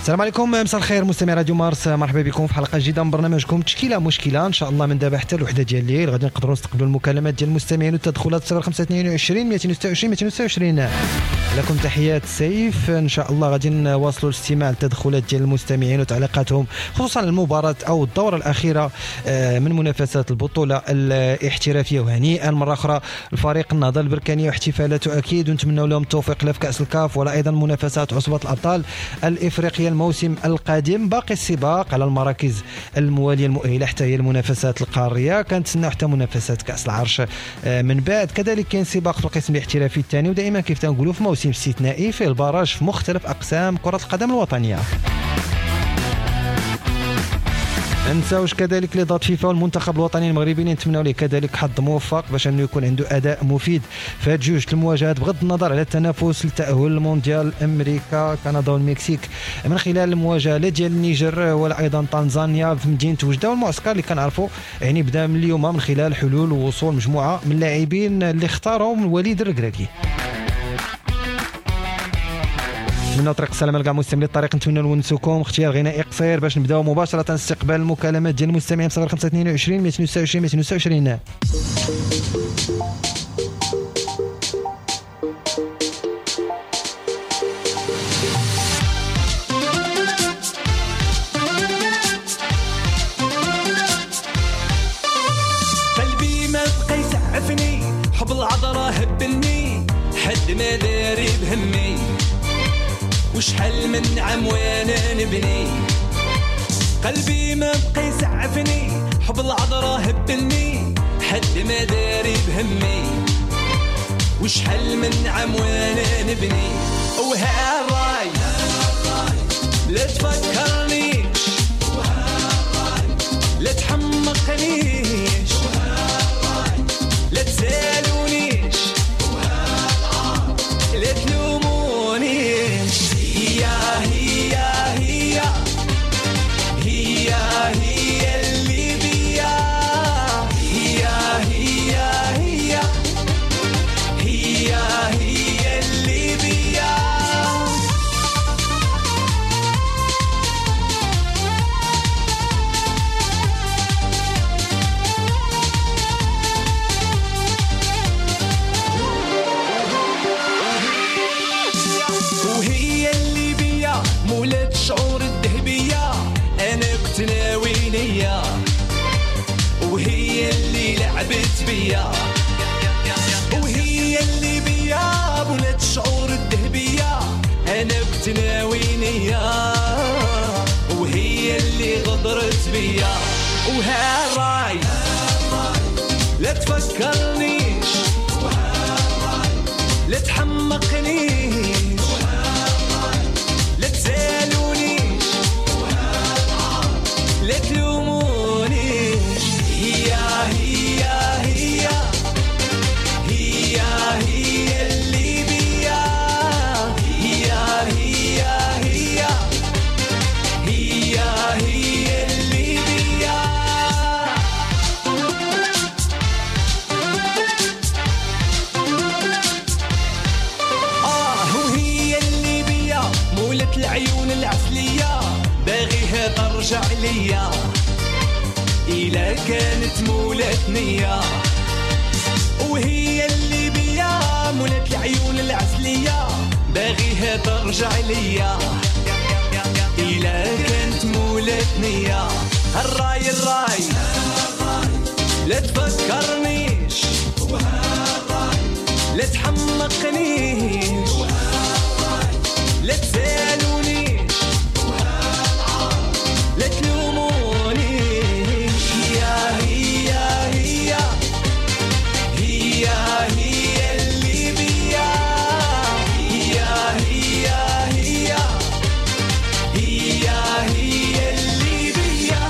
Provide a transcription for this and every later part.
السلام عليكم، مساء الخير مستمعي راديو مارس، مرحبا بكم في حلقة جديدة من برنامجكم تشكيله مشكلة. ان شاء الله من دابا حتى الوحدة ديال الليل غادي نقدروا نستقبلوا المكالمات ديال المستمعين والتدخلات 0522 226 226. لكم تحيات سيف، ان شاء الله غادي نواصلوا الاستماع للتدخلات ديال المستمعين وتعليقاتهم خصوصا المباراة او الدورة الاخيرة من منافسات البطولة الاحترافية. وهنيئا مرة اخرى الفريق النهضة البركانيه واحتفالاته اكيد، ونتمنوا لهم التوفيق لا في كاس الكاف ولا ايضا منافسات عصبه الابطال الافريقية الموسم القادم. باقي السباق على المراكز الموالية المؤهله حتى هي المنافسات القارية، كنتسناو حتى منافسات كاس العرش من بعد. كذلك كاين سباق في القسم الاحترافي الثاني، ودائما كيف تنقولوا في موسم استثنائي في ال barrage في مختلف اقسام كره القدم الوطنية. ننساوش كذلك les dates فيفا والمنتخب الوطني المغربي اللي نتمناو ليه كذلك حظ موفق باش انه يكون عنده اداء مفيد في هاد جوج المواجهات، بغض النظر على التنافس لتاهل المونديال امريكا كندا والمكسيك من خلال المواجهة لا ديال النيجر ولا ايضا تنزانيا في مدينة وجده. والمعسكر اللي كنعرفوا يعني بدا من اليوم من خلال حلول ووصول مجموعة من اللاعبين اللي اختارهم الوليد الركراكي. نتمنى طريق السلامة لكاع مستمعي الطريق، نتمنى نونسوكم اختيار غنائي قصير باش نبداو مباشرة استقبال المكالمات ديال المستمعين 0522 226 226. قلبي ما بقى يسعفني، حب العذراء هبلني، حد ما داري بهمي، وشحال من عام وانا نبني. قلبي ما بقى يسعفني، حب العذراء هبلني، حد ما داري بهمي، وشحال من عام وانا نبني. وهالراي لا تفكرنيش، لا تحمقنيش، لا تسالونيش، لا تلومونيش. هي هي هي هي هي اللي بيا، هي هي هي هي هي اللي بيا. وهي اللي بيا مولات الشعور الذهبية، أنا كنت ناوي نية، وهي اللي لعبت بيا. وهي اللي بيا مولات الشعور الذهبية، أنا كنت ناوي نية، وهي اللي غدرت بيا. وهالراي لا تفكرنيش، لا تحمقنيش، لا تسالونيش، لا تلومونيش. هي هي هي هي هي اللي بيا، هي هي هي هي هي اللي بيا. وهي اللي بيا مولت العيون العسلية، باغيها ترجع ليا إلا كانت مولات نية. وهي اللي بيا مولات العيون العسلية، باغيها ترجع ليا إلا كانت مولات نية. الراي الراي لا تفكرنيش، لا تحمقنيش، لا تسالونيش، لا تلومونيش. هي هي هي هي هي اللي بيا، هي هي هي هي هي اللي بيا.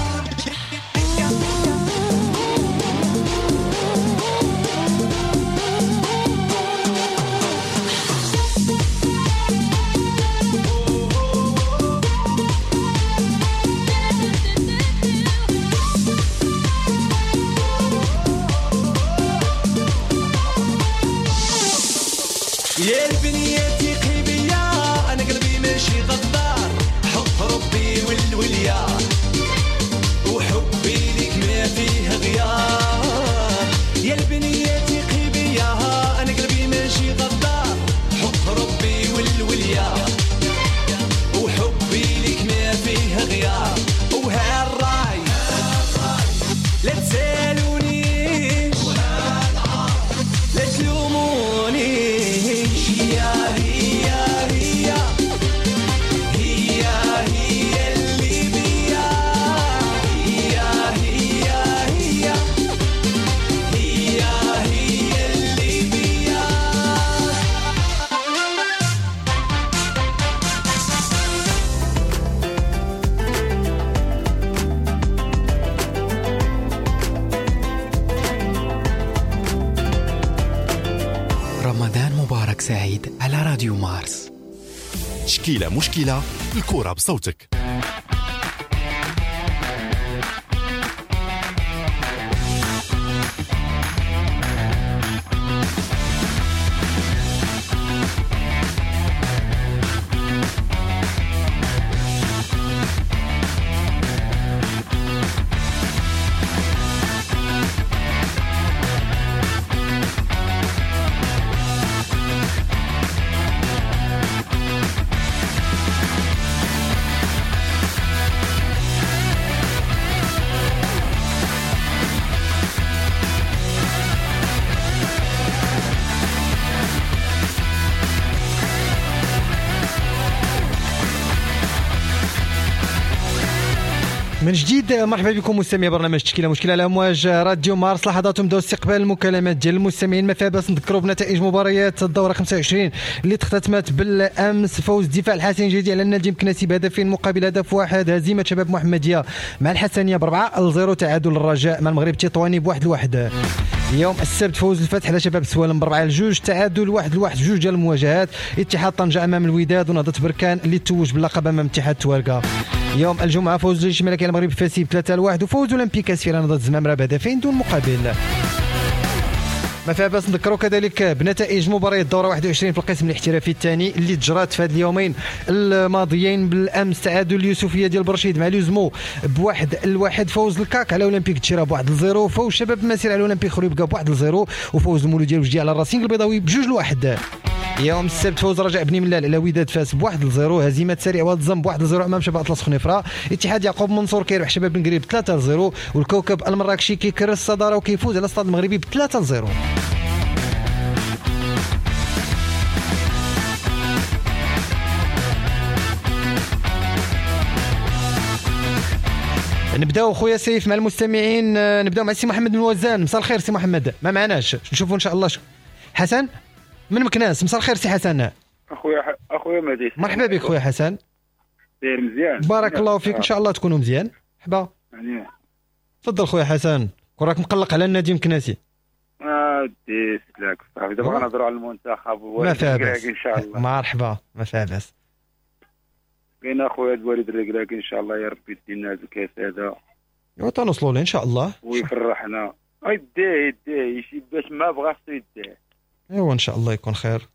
راديو مارس. تشكيلة مشكلة، الكرة بصوتك. من جديد مرحبا بكم مستمعي برنامج تشكيله مشكلة على امواج راديو مارس. لحظات نبداو استقبال المكالمات ديال المستمعين. ما فيها باس نذكروا بنتائج مباريات الدورة 25 اللي اختتمت بالامس. فوز الدفاع الحسني الجديدي على النادي المكناسي بهدفين مقابل هدف واحد، هزيمة شباب محمديه مع الحسنيه ب4-0، تعادل الرجاء مع المغرب التطواني ب1-1. يوم السبت فوز الفتح على شباب سوالم ب4-2، تعادل 1-1 جوج ديال المواجهات، اتحاد طنجة امام الوداد ونهضة بركان اللي توج باللقب امام اتحاد تواركا. يوم الجمعة فوز الجيش الملكي على المغرب الفاسي ب3-1، وفوز اولمبيك اسفي على نهضة الزمامرة بهدفين دون مقابل. ما فيها باس نذكروا كذلك بنتائج مباريات الدورة 21 في القسم الاحترافي الثاني اللي تجرات في هذه اليومين الماضيين. بالامس تعادل اليوسفيه ديال برشيد مع لوزمو ب1-1، فوز الكاك على اولمبيك تشيرا ب1-0، فوز شباب المسير على اولمبيك خريبكا ب1-0، وفوز المولوديه الوجدي على الراسينغ البيضاوي ب2-1. يوم السبت فوز رجاء بني ملال على وداد فاس ب1-0، هزيمة سريع واد الزم ب1-0 امام شباب اطلس خنيفره، اتحاد يعقوب منصور كيربح شباب بن قريب 3-0، والكوكب المراكشي كيكرس الصدارة وكيفوز على الستاد المغربي ب3-0. نبداو خويا سيف مع المستمعين، نبداو مع سي محمد من وزان. مساء الخير سي محمد، ما معناش نشوفوا ان شاء الله. حسن من مكناس، مساء الخير سي حسن. اخويا مهدي، مرحبا بك خويا حسن. داير مزيان، بارك الله فيك، ان شاء الله تكونوا مزيان. مرحبا، تفضل خويا حسن، كون راك مقلق على النادي مكناسي. دي سلاك صاحبي، دابا غنهضروا على المنتخب ما فيها باس ان شاء الله. مرحبا، ما فيها باس. كاين اخويا الوالد الركراكي ان شاء الله يا ربي يدينا هذا الكاس هذا وتنوصلوا له ان شاء الله ويفرحنا. يديه يشي باش ما بغا خصو يديه. ايوا ان شاء الله يكون خير.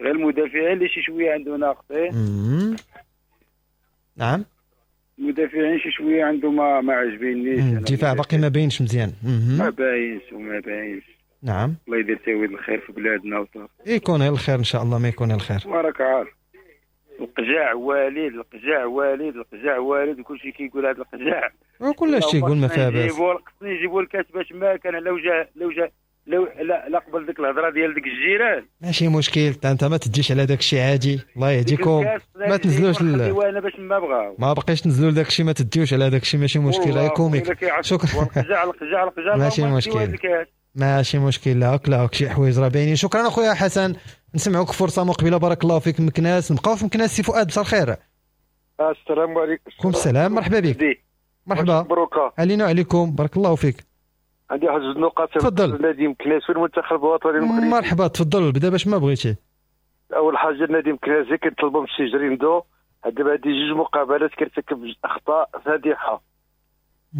غير المدافعين اللي شي شوية عنده ناقصين. نعم، المدافعين شي شوية عنده ما عجبينيش. الدفاع باقي ما باينش مزيان. ما باينش وما باينش. نعم، الله يدير تاويل الخير في بلادنا وصافي. يكون غير الخير ان شاء الله، ما يكون غير الخير. وراك عارف القجاع والد، القجاع والد، القجاع والد، وكلشي كيقول هذا القجاع وكلشي تيقول ما فيها باس. خصني نجيبوا الكاس باش ما كان لو جا لو جا لو لا قبل ديك الهضرة ديال ديك الجيران. ماشي مشكل، انت ما تديش على داك الشيء عادي، الله يهديكم. ما تنزلوش انا باش ما بغاو، ما بقيش تنزلوا لداك الشيء، ما تديوش على داك الشيء، ماشي مشكل. غير comique. شكرا. القجاع القجاع القجاع، ماشي مشكل، ماشي مشكل. لا لا شي حوايج راه باينين. شكرا اخويا حسن، نسمعوك فرصة مقبله. بارك الله فيك. مكناس، نبقاو في مكناس. سي فؤاد مساء الخير. السلام عليكم. السلام، مرحبا بك. مرحبا، مبروك علينا وعليكم، بارك الله فيك. عندي واحد جوج نقاط. تفضل. النادي مكناس في المنتخب الوطني المغربي. مرحبا، تفضل، بدا باش ما بغيتي. اول حاجة النادي مكناسي كنطلبوا من السي جريندو دابا هادي جوج مقابلات كيرتكب اخطاء فادحة،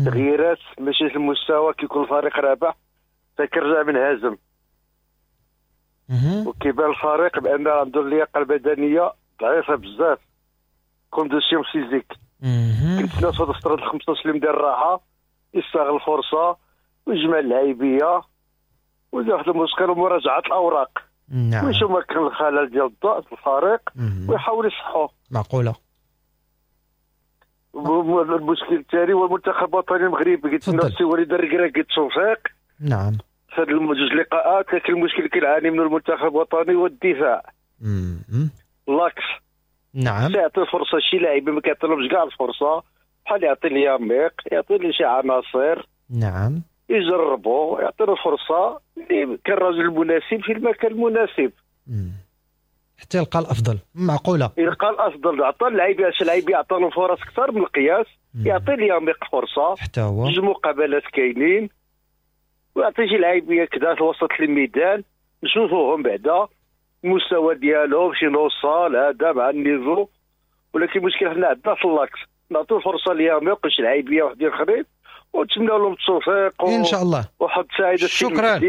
تغييرات ماشي في المستوى، كيكون الفريق رابح فكيرجع منهزم، وكيبان الفريق بان عنده اللياقة البدنية ضعيفة بزاف، condition physique. كنتسنى في هاد الفترة 15 يوم ديال الراحة يستغل الفرصة ويجمع اللعيبيه ويدير واحد المشكل ومراجعة الاوراق. نعم، ويشوف ما كان الخلل ديال الضغط الفريق ويحاول يصحو. معقولة. المشكل الثاني هو المنتخب الوطني المغربي، كنتسنى السي وليد الركراكي التوفيق. نعم، في هاد جوج لقاءات، لكن المشكل اللي كيعاني منه المنتخب الوطني هو الدفاع. l'axe. نعم، يعطي فرصة شي لاعب ما كيعطيلهمش كاع الفرصة، بحال يعطي الياميق، يعطي لي شي عناصر. نعم، يجربوا، يعطي له فرصة اللي كان الرجل المناسب في المكان المناسب. حتى يلقى الافضل. معقولة، يلقى الافضل. عطى اللعيبة، شي لعيب يعطى له فرص اكثر من القياس، يعطي الياميق فرصة حتى هو، جوج مقابلات كاينين، ويعطي شي لعيبيه كذا في وسط الميدان نشوفوهم بعدا. المستوى ديالهم شي نوصل هذا مع ال niveau، ولكن المشكل حنا عندنا في l'axe، نعطيو الفرصة ليهم ما يبقاوش العيبيه وحدين اخرين، ونتمنى لهم التوفيق ان شاء الله وحظ سعيد. شكرا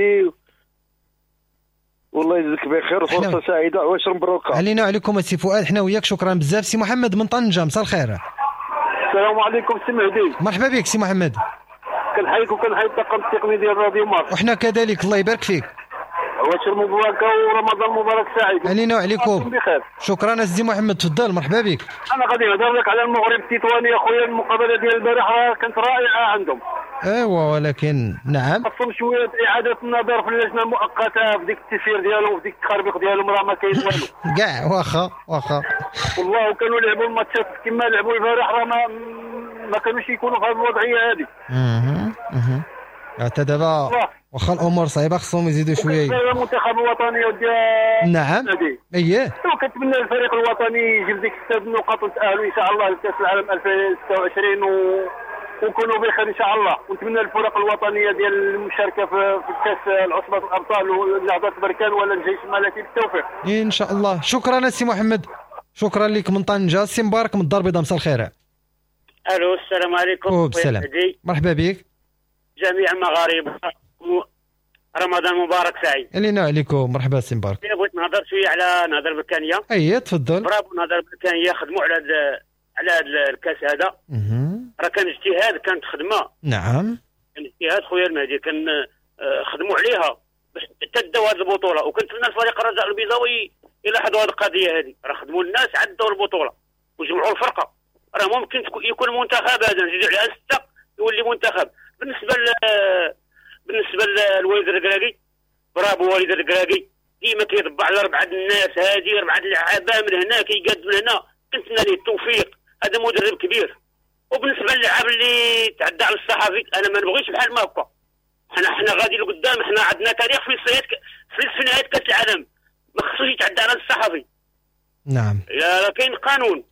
والله يجزيك بخير وفرصه سعيدة وعشر مبروكه علينا وعليكم السي فؤاد. حنا وياك شكرا بزاف. سي محمد من طنجه مساء الخير. السلام عليكم سي مهدي. مرحبا بك سي محمد. كنحييك وكنحيي الطاقم التقني ديال راديو مارس. وحنا كذلك الله يبارك فيك. عواشر مباركة ورمضان مبارك سعيد. علينا وعليكم بخير. شكرا سي محمد، تفضل مرحبا بك. انا غادي نهضر لك على المغرب التطواني اخويا، المقابلة ديال البارح راه كانت رائعة عندهم. ايوا ولكن نعم خاصهم شوية اعاده النظر في اللجنة المؤقتة في ديك التسيير ديالهم وفي ديك التخربيق ديالهم، راه ما كاين والو كاع. واخا واخا والله وكانوا لعبوا الماتشات كما لعبوا البارح راه ما كانوش يكونوا في هذه الوضعية هذه. حتى دابا واخا الامور صعيبة خصهم يزيدوا شوية. المنتخب الوطني ديال نعم اييه، وكنتمنى الفريق الوطني يجيب ديك 6 النقاط وتاهلوا ان شاء الله لكاس العالم 2026 ونكونوا بخير ان شاء الله. ونتمنى الفرق الوطنية ديال المشاركة في كاس العصبة الابطال ونهضه بركان ولا الجيش الملكي بالتوفيق ان شاء الله. شكرا سي محمد، شكرا لك من طنجه. سي مبارك من الدار البيضاء مساء الخير. الو السلام عليكم. السلام، مرحبا بك. جميع المغاربة رمضان مبارك سعيد. علينا وعليكم. مرحبا سي مبارك. بغيت نهضر شوية على نهضة بركانيه. اي تفضل. برافو نهضة بركانيه، خدموا على هذا الكاس هذا. راه كان اجتهاد، كانت خدمة. نعم كان اجتهاد خويا المهدي، كان خدموا عليها باش تداو هذه البطولة. وكنتمنى الفريق الرجاء البيضاوي يلاحظوا هذه القضية هذه، راه خدموا الناس عدوا البطولة وجمعوا الفرقة. راه ممكن يكون منتخب هذا نزيدوا عليها 6 يولي منتخب. بالنسبة للوليد الركراكي، برافو وليد الركراكي، ديما كيطبع على 4 الناس هذه، 4 اللعابه من هنا كيقاد من هنا. كنتمنى ليه التوفيق، هذا مدرب كبير. وبالنسبة للعاب اللي تعدى على الصحفي، انا ما نبغيش بحال ما هكا. حنا غادي لقدام، حنا عندنا تاريخ في في نهاية كاس العالم، ما خصوش يتعدى على الصحفي. نعم يا كاين قانون.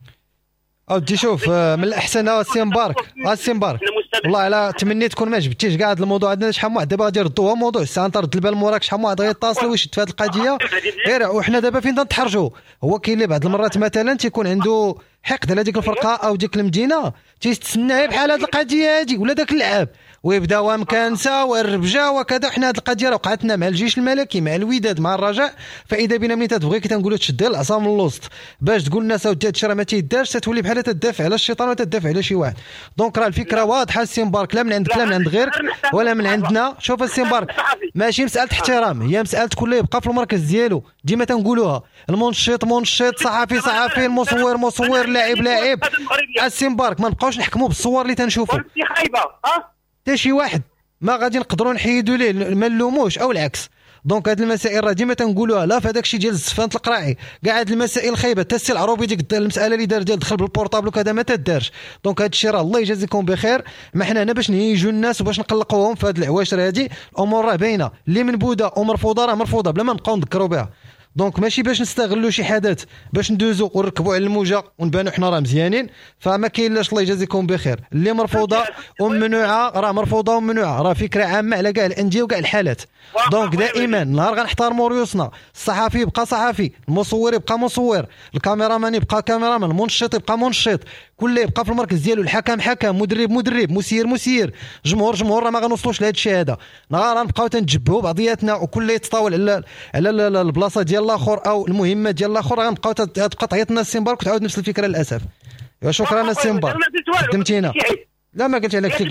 اودي شوف من الاحسن السي مبارك، السي مبارك والله على تمنيت تكون ما جبتيش كاع هذا الموضوع. عندنا شحال من واحد دابا غادي يردوها موضوع الساعة، انت رد البال موراك شحال من واحد غيتصل ويشد في هذه القضية. غير وحنا دابا فين تنتحرجوا، هو كاين اللي بعض المرات مثلا تيكون عنده حقد على ديك الفرقة او ديك المدينة، تيستنى بحال هذه القضية هذه ولا داك اللعاب ويبداو مكانسه والربجه وكذا. حنا هذه القضية راه وقعتنا مع الجيش الملكي، مع الوداد، مع الرجاء. فاذا بنا ملي تتبغي كتنقولوا تشد العصا من الوسط باش تقول الناس اودي هادشي راه ما تيدارش، تتولي بحال تدافع على الشيطان وتدافع على شي واحد. donc راه الفكرة واضحة السي مبارك، لا من عندك لا من عند غيرك ولا من عندنا. شوف السي مبارك، ماشي مسالة احترام، هي مسالة كل يبقى في المركز ديالو. ديما تنقولوها، المنشط منشط، صحفي صحفي، المصور مصور، لاعب لاعب. السي مبارك ما نبقاوش نحكموا بالصور اللي تنشوفوا. حتى شي واحد ما غادي نقدروا نحيدوا ليه، ما نلوموش او العكس. donc هاد المسائل راه ديما تنقولوها، لا في هذاك الشيء ديال الزفانت القراعي، كاع هاد المسائل الخايبة. حتى السي العروبي ديك المسالة اللي دار ديال دخل بال portable وكذا ما تدارش. donc هاد الشيء راه الله يجازيكم بخير، ما حنا هنا باش نهيجوا الناس وباش نقلقوهم في هاد العواشر هادي. الامور راه باينة، اللي منبوده ومرفوضه راه مرفوضة بلا ما نبقاو نذكروا بها. donc ماشي باش نستغلوا شي حدث باش ندوزو ونركبوا على الموجه ونبانوا حنا راه مزيانين. فما كاين لاش، الله يجازيكم بخير. اللي مرفوضة وممنوعه راه مرفوضة وممنوعه، راه فكرة عامة على كاع الاندية وكاع الحالات. donc دائما نهار غنحترموا ريوسنا، الصحفي يبقى صحفي، المصور يبقى مصور، الكاميرامان يبقى كاميرامان، المنشط يبقى منشط، كل يبقى في المركز ديالو، الحكم حكم، مدرب مدرب، مسير مسير، جمهور جمهور. راه ما غنوصلوش لهذا الشيء هذا. نهار غنبقاو تنتجبهوا بعضياتنا وكل يتطاول على البلاصة ديال الاخر او المهمة ديال الاخر، غنبقاو تبقى تعيط لنا السي مبارك وتعاود نفس الفكرة للاسف. شكرا السي مبارك، خدمتينا. لا ما قلت عليك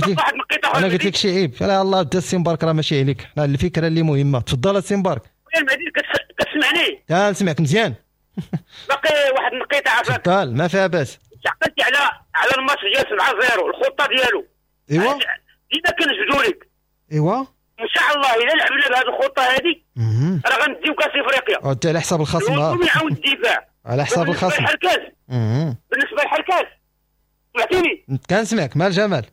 انا قلت لك شي عيب. لا الله بدا السي مبارك راه ماشي عليك، الفكرة اللي مهمة. تفضل السي مبارك. كتسمعني؟ لا نسمعك مزيان. باقي واحد النقيطه عافاك. تفضل ما فيها باس. عقلتي على الماتش ديال 7-0 الخطة ديالو. ايوا ديما كنجبدوا لك. ايوا ان شاء الله الا لعبنا بهذه الخطة هذه راه غنديو كاس افريقيا. انت على حساب الخصم، يعاون الدفاع على حساب الخصم. بالنسبة للحركاز سمعتيني؟ كنسمعك مال جمال.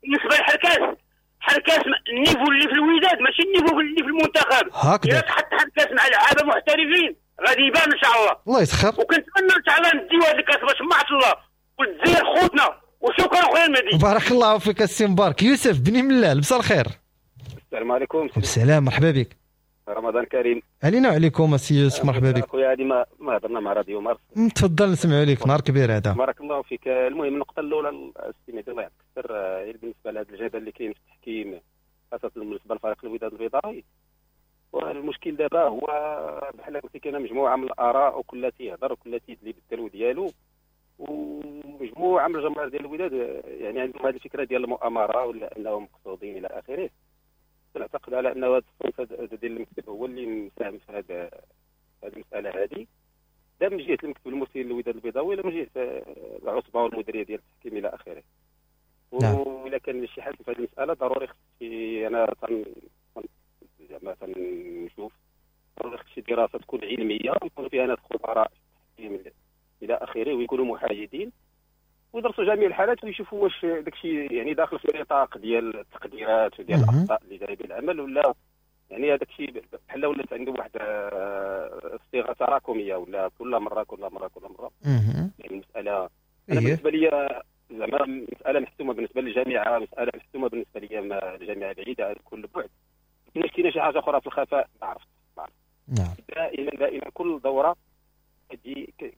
بالنسبة للحركاز، حركاز ال niveau اللي في الوداد ماشي ال niveau اللي في المنتخب. هكذا الا تحط حركاز مع لعابه محترفين غادي يبان ان شاء الله. الله يسخر. وكنتمنى ان شاء الله نديو هذا الكاس باش معت الله وتزير خوتنا. وشكرا خويا المهدي. بارك الله فيك السي مبارك. يوسف بني ملال مساء الخير. السلام عليكم. السلام، مرحبا بك. رمضان كريم. علينا وعليكم السي يوسف، مرحبا بك. خويا هذه ما هضرنا مع راديو مارس. تفضل نسمعوا لك، نهار كبير هذا. بارك الله فيك. المهم النقطة الاولى السي مهدي الله يعطيك السر، بالنسبة لهذا الجدل اللي كاين في التحكيم خاصة بالنسبة لفريق الوداد البيضاوي، والمشكل دابا هو بحال قلتي كاينه مجموعة من الاراء وكل تيهضر وكل تيدلي بالدلو ديالو، ومجموعة من الجماهير ديال الوداد يعني عندهم هذه الفكرة ديال المؤامرة ولا انهم مقصودين الى اخره. نعتقد على ان هذا الصنف ديال المكتب هو اللي مساهم في هذه المسالة هذه، لا من جهة المكتب المسير للوداد البيضاوي لا من جهة العصبة والمديريه ديال التحكيم الى اخره. وإلا كان شي حل في هذه المسالة ضروري خص انا زعما تنشوف ضروري خص شي دراسة تكون علمية ويكون فيها ناس خبراء الى اخره ويكونوا محايدين ويدرسوا جميع الحالات ويشوفوا واش داكشي يعني داخل في النطاق ديال التقديرات وديال الاخطاء اللي جاية بالعمل، ولا يعني هذاك الشيء بحال ولات عنده واحد الصيغة تراكمية ولا كل مرة كل مرة كل مرة. يعني المسالة انا بالنسبة لي زعما مسالة محسومة بالنسبة للجامعة، مسالة محسومة بالنسبة لي الجامعة بعيدة على كل بعد. كاين كاينه شي حاجة اخرى في الخفاء ما عرفت. نعم. دائما كل دوره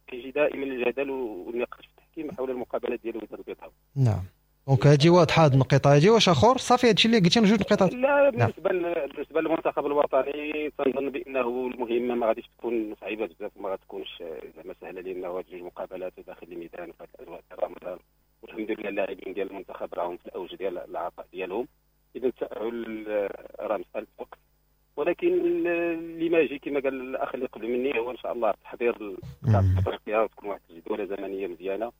كيجي دائما الجدل والنقاش في التحكيم حول المقابلات ديال الوداد البيضاوي. نعم. donc هذه واضحة هذه النقطة هذه. واش اخر صافي هادشي اللي قلتي جوج نقاط؟ لا بالنسبة بالنسبة للمنتخب الوطني تنظن بانه المهمة ما غاديش تكون صعيبة بزاف وما غاتكونش زعما سهلة، لانه هاد جوج مقابلات داخل الميدان في الاجواء ديال رمضان، والحمد لله اللاعبين ديال المنتخب راهم في الاوج ديال العطاء ديالهم، اذا التاهل راه مسالة وقت. ولكن اللي ما يجي كما قال الاخ اللي قبل مني هو ان شاء الله تحضير كاس افريقيا وتكون واحد الجدوله زمنية مزيانه،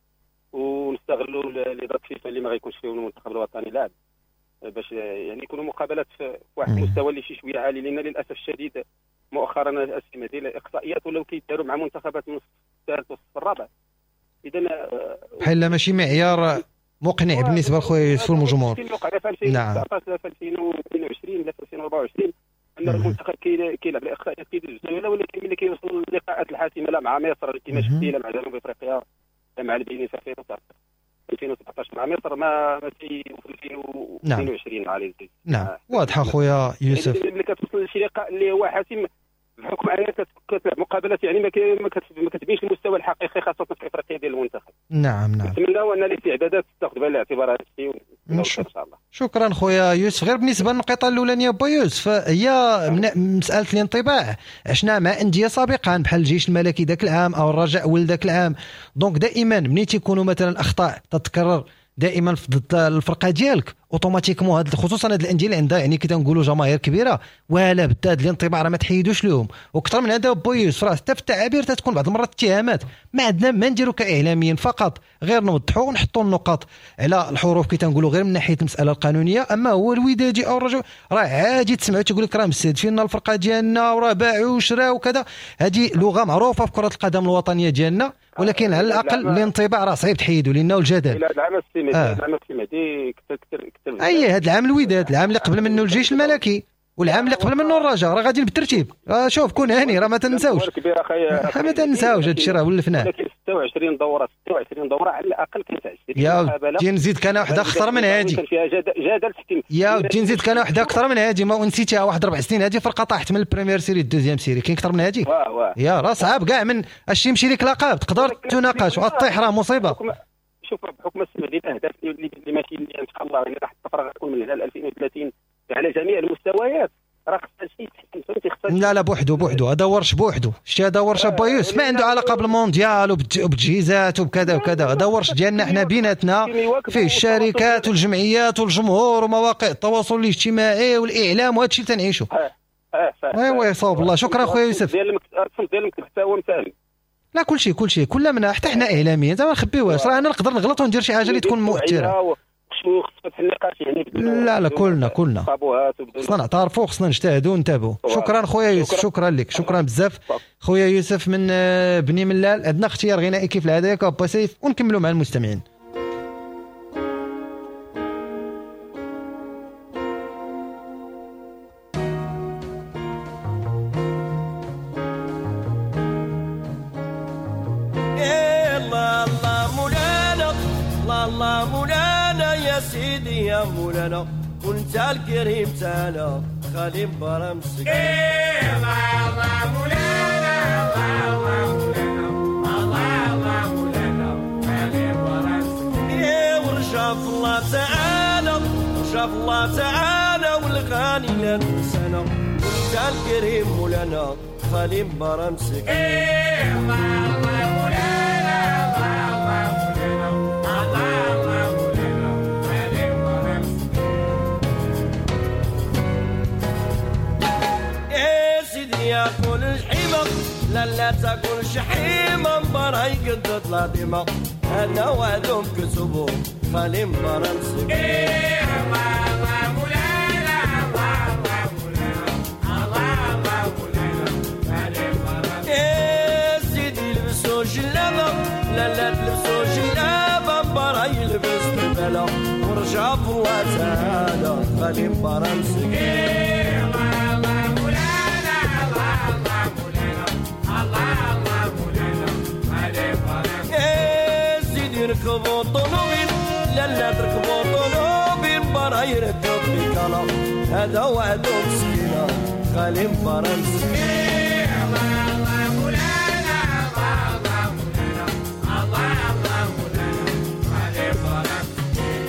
ونستغلوا les dates فيفا اللي ما غيكونش فيهم المنتخب الوطني لاعب، باش يعني يكونوا مقابلات في واحد المستوى اللي شي شوية عالي، لان للاسف الشديد مؤخرا الاسئلة ديال الاقصائيات ولاو كيداروا مع منتخبات من الصف الثالث والصف الرابع. اذا بحال ماشي معيار مقنع بالنسبة لخويا يوسف والجمهور. في 2019 لا في 2022 لا في 2024 ان المنتخب كيلعب الاقصائيات كيدوز الجولة، ولكن ملي كيوصل للقاءات الحاسمة لا مع مصر كما شفتي، لا مع جنوب افريقيا، لا مع البنين في 2017 مع مصر ما في 2022 مع ليزي. نعم واضحة خويا يوسف. ملي كتوصل لشي لقاء اللي هو حاسم بحكم انك كتلعب مقابلات يعني ما كتبينش المستوى الحقيقي خاصة في افريقيا ديال المنتخب. نعم نعم. نتمناو ان الاستعدادات تاخذ بعين الاعتبار هذا الشيء ان شاء الله. شكرا خويا يوسف. غير بالنسبة للنقطة الاولانية با يوسف، هي مسالة الانطباع عشنا مع اندية سابقا بحال الجيش الملكي ذاك العام او الرجاء ول ذاك العام، donc دائما ملي تيكونوا مثلا اخطاء تتكرر دائما ضد الفرقة ديالك automatiquement هاد خصوصا هاد الاندية اللي عندها يعني كي تنقولوا جماهير كبيرة ولا بد هاد الانطباع راه ما تحيدوش لهم. واكثر من هذا با يوسف راه حتى في التعابير تتكون بعض المرات اتهامات، ما عندنا ما نديروا كاعلاميين، فقط غير نوضحوا ونحطوا النقاط على الحروف كي تنقولوا غير من ناحية المسالة القانونية. اما هو الودادي او الرجل راه عادي تسمعوا تيقول لك راه مستهدفين الفرقة ديالنا وراه باعوا وشراو وكذا، هذه لغة معروفة في كره القدم الوطنية ديالنا، ولكن على الاقل الانطباع راه صعيب تحيدوا لانه الجدل. هذا العام السي مهدي كثر اي هذا العام الوداد، العام اللي قبل منه الجيش الملكي، والعام اللي قبل منه الرجاء، راه غاديين بالترتيب. شوف كون هاني راه ما تنساوش، ما تنساوش هذا الشيء راه ولفناه. ولكن 26 دوره على الاقل كانت 20 يا ودي نزيد كان واحدة اخطر من هذه، كان فيها جدل تحكيم. يا ودي نزيد كان واحدة اكثر من هذه، ما نسيتيها واحد 4 سنين هذه فرقه طاحت من ال première série ال deuxième série، كاين اكثر من هذه؟ يا راه صعاب كاع من اش يمشي لك لقب تقدر تناقش وطيح راه مصيبة. شوف بحكم السمع ديال الاهداف اللي ماشي ان شاء الله يعني راح الطفرة غتكون من هنا ل 2030 على جميع المستويات، راه خصها شي تحكم فهمتي. خصها لا لا بوحدو هذا ورش بوحدو، شتي هذا ورش با يوسف ما عنده علاقة بالمونديال وبالتجهيزات وبكذا وكذا، هذا ورش ديالنا حنا بيناتنا فيه الشركات والجمعيات والجمهور ومواقع التواصل الاجتماعي والاعلام وهذا الشيء تنعيشو. ايوا يصوب الله. شكرا خويا يوسف. ديال المكتب حتى هو مساهم. لا كلشي كل منا حتى حنا اعلاميين زعما ما نخبيوهاش، راه انا نقدر نغلط وندير شي حاجة اللي تكون مؤثرة. لا لا كلنا خصنا نعترفوا، خصنا نجتهدوا ونتابعوا. شكرا خويا يوسف، شكرا لك، شكرا بزاف خويا يوسف من بني ملال. عندنا اختيار غنائي كيف العادة ياك با سيف، ونكملوا مع المستمعين. الله مولانا يا سيدي يا مولانا وانت الكريم تانا، خالي مبارا مسكين. الله الله مولانا، الله الله مولانا، الله الله مولانا، خالي مبارا مسكين. ورجع في الله تعالى، رجع في الله تعالى، والغاني لا تنسانا، وانت الكريم مولانا خالي مبارا مسكين. الله الله مولانا، الله الله مولانا، الله الله مولانا، خالي مبارا مسكين. يا سيدي ياكل الحيمة، لا لا تاكل شحيمة، مبارا يقدد العظيمة، أنا وعدهم كتبو خالي مبارا مسكين. الله الله مولانا، الله الله مولانا، الله الله مولانا، خالي مبارا مسكين. يا سيدي لبسو جلابة، لا لا تلبسو جلابة، مبارا يلبس بالبلا، ورجع في الله تعالى خالي مبارا مسكين. الله الله مولانا، الله الله مولانا، الله الله مولانا، خالي مبارا مسكين. يا سيدي ركبوا طنوبيل، لا لا تركبوا طنوبيل، مبارا يركب بكلا، هذا وعده مسكينة خالي مبارا مسكين. الله الله مولانا، الله الله مولانا، الله الله مولانا، خالي مبارا مسكين.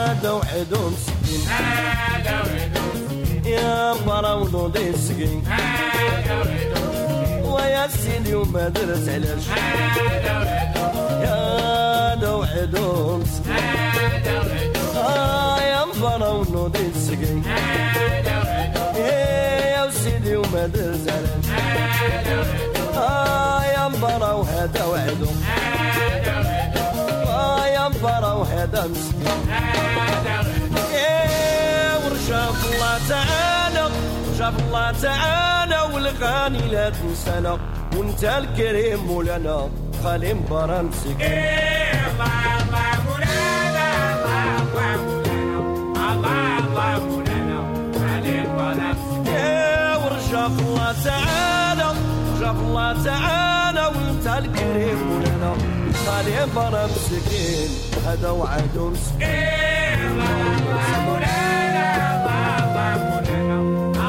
هذا وحده مسكين، هذا وحده مسكين، يا مبارا ونوضي السكين، هذا وحده مسكين، ويا سيدي وما درت علاش، هذا وحده مسكين، هذا وحده مسكين، هذا وحده، يا مبارا ونوضي السكين، هذا وحده، يا سيدي وما درت علاش، هذا وحده، يا مبارا وهذا وحده، هذا وحده، يا مبارا وهذا مسكين. هذا وحده. ورجع في الله تعالى، رجع في الله تعالى، والغاني لا تنسانا، وانت الكريم مولانا خالي مبارا مسكين. الله الله مولانا، الله الله مولانا، الله الله مولانا، خالي مبارا مسكين. ورجع في الله تعالى، رجع في الله تعالى، وانت الكريم مولانا خالي مبارا مسكين، هذا وعده مسكين. الله الله مولانا، الله الله مولانا،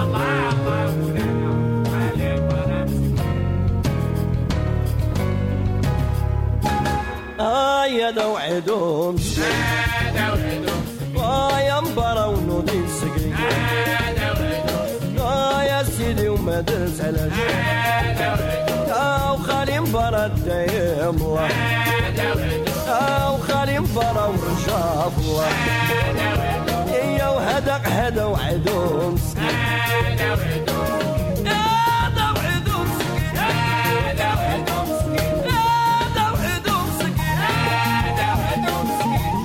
الله الله مولانا، خالي مبارا مسكين. يا دا وعده مسكين، هذا وحده مسكين، يا مبارا ونوضي السكين، هذا وحده مسكين، يا سيدي وما درت علاش، هذا وحده، وخالي مبارا دايم الله، هذا وحده، وخالي مبارا ورجع في الله، هذا وحده، يا وهذا هذا وعده مسكين، هذا وحده مسكين، هذا وعده مسكين، هذا وحده مسكين، هذا وعده مسكين، هذا وحده مسكين.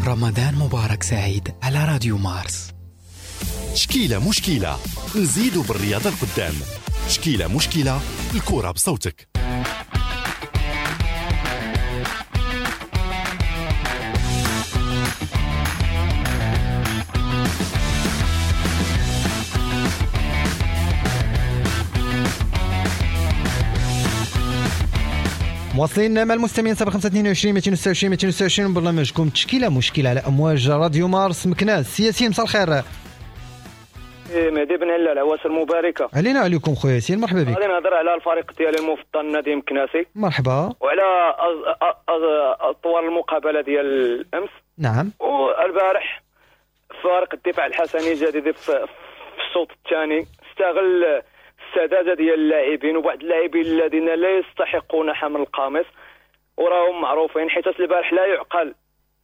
رمضان مبارك سعيد على راديو مارس. تشكيلة مشكلة، نزيدوا بالرياضة القدام. تشكيلة مشكلة، الكرة بصوتك. مواصلين مع المستمعين 0522 226 226 برنامجكم تشكيله مشكلة على امواج راديو مارس مكناس. ياسين مساء الخير. مهدي بن هلال، عواشر مباركة علينا وعليكم خويا ياسين، مرحبا بك. غادي نهضر على الفريق ديالي المفضل نادي مكناسي. مرحبا. وعلى اطوار المقابلة ديال الامس. نعم. والبارح فريق الدفاع الحسني الجديد في الشوط الثاني استغل السداده ديال اللاعبين وبعض اللاعبين الذين لا يستحقون حمل القميص وراهم معروفين، حيت البارح لا يعقل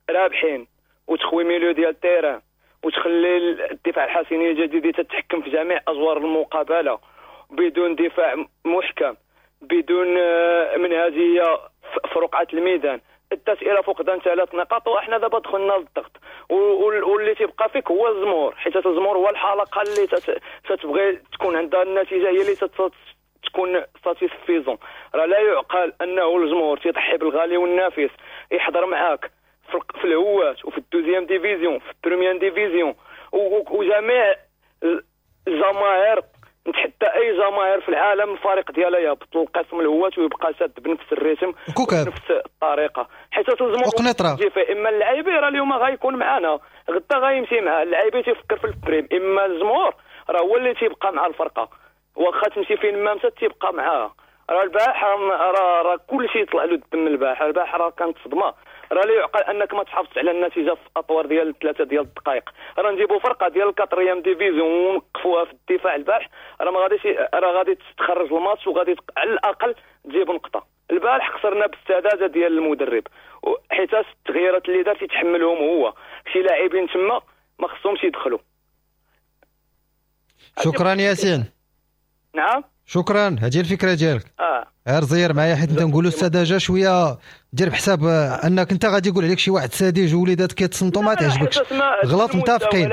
رابحين وتخوي milieu ديال ال terrain وتخلي الدفاع الحسني الجديد تتحكم في جميع ادوار المقابلة بدون دفاع محكم، بدون منهجيه في رقعه الميدان. ادت الى فقدان 3 نقاط، واحنا دابا دخلنا للضغط، واللي تيبقى فيك هو الزمور، حيت الزمور هو الحلقة اللي تتبغي تكون عندها النتيجة هي اللي تكون satisfaisante. راه لا يعقل انه الجمهور تيضحي بالغالي والنافس، يحضر معاك في الهوات وفي ال deuxième division، في ال première division، وجميع الجماهير، نتحدى اي جماهير في العالم الفريق ديالها يهبط للقسم الهوات ويبقى ساد بنفس ال rythme بنفس الطريقة، حيت الجمهور اما اللاعبين راه اليوم غيكون معنا غدا غيمشي معاه، اللاعبين تيفكر في ال prime، اما الجمهور راه هو اللي تيبقى مع الفرقة، واخا تمشي فين ما مشات تيبقى معاها. راه البارح راه كلشي طلع له الدم البارح، البارح راه كانت صدمة. راه لا يعقل انك ما تحافظش على النتيجة في اطوار ديال 3 ديال الدقائق. راه نجيبوا فرقه ديال ال quatrième division ونوقفوها في الدفاع البارح، راه ما غاديش، راه غادي تخرج الماتش وغادي على الاقل تجيب نقطة. البارح خسرنا بالسداده ديال المدرب، حيت التغييرات اللي دار تيتحملهم هو، شي لاعبين تما ما خصهمش يدخلوا. شكرا ياسين. نعم شكرا، هذه الفكرة ديالك. غير زير معايا حيت انت نقولوا السذاجة شوية، دير بحساب انك انت غادي يقول عليك شي واحد ساذج ووليدات كيتصنتوا ما تعجبكش. غلط، متفقين.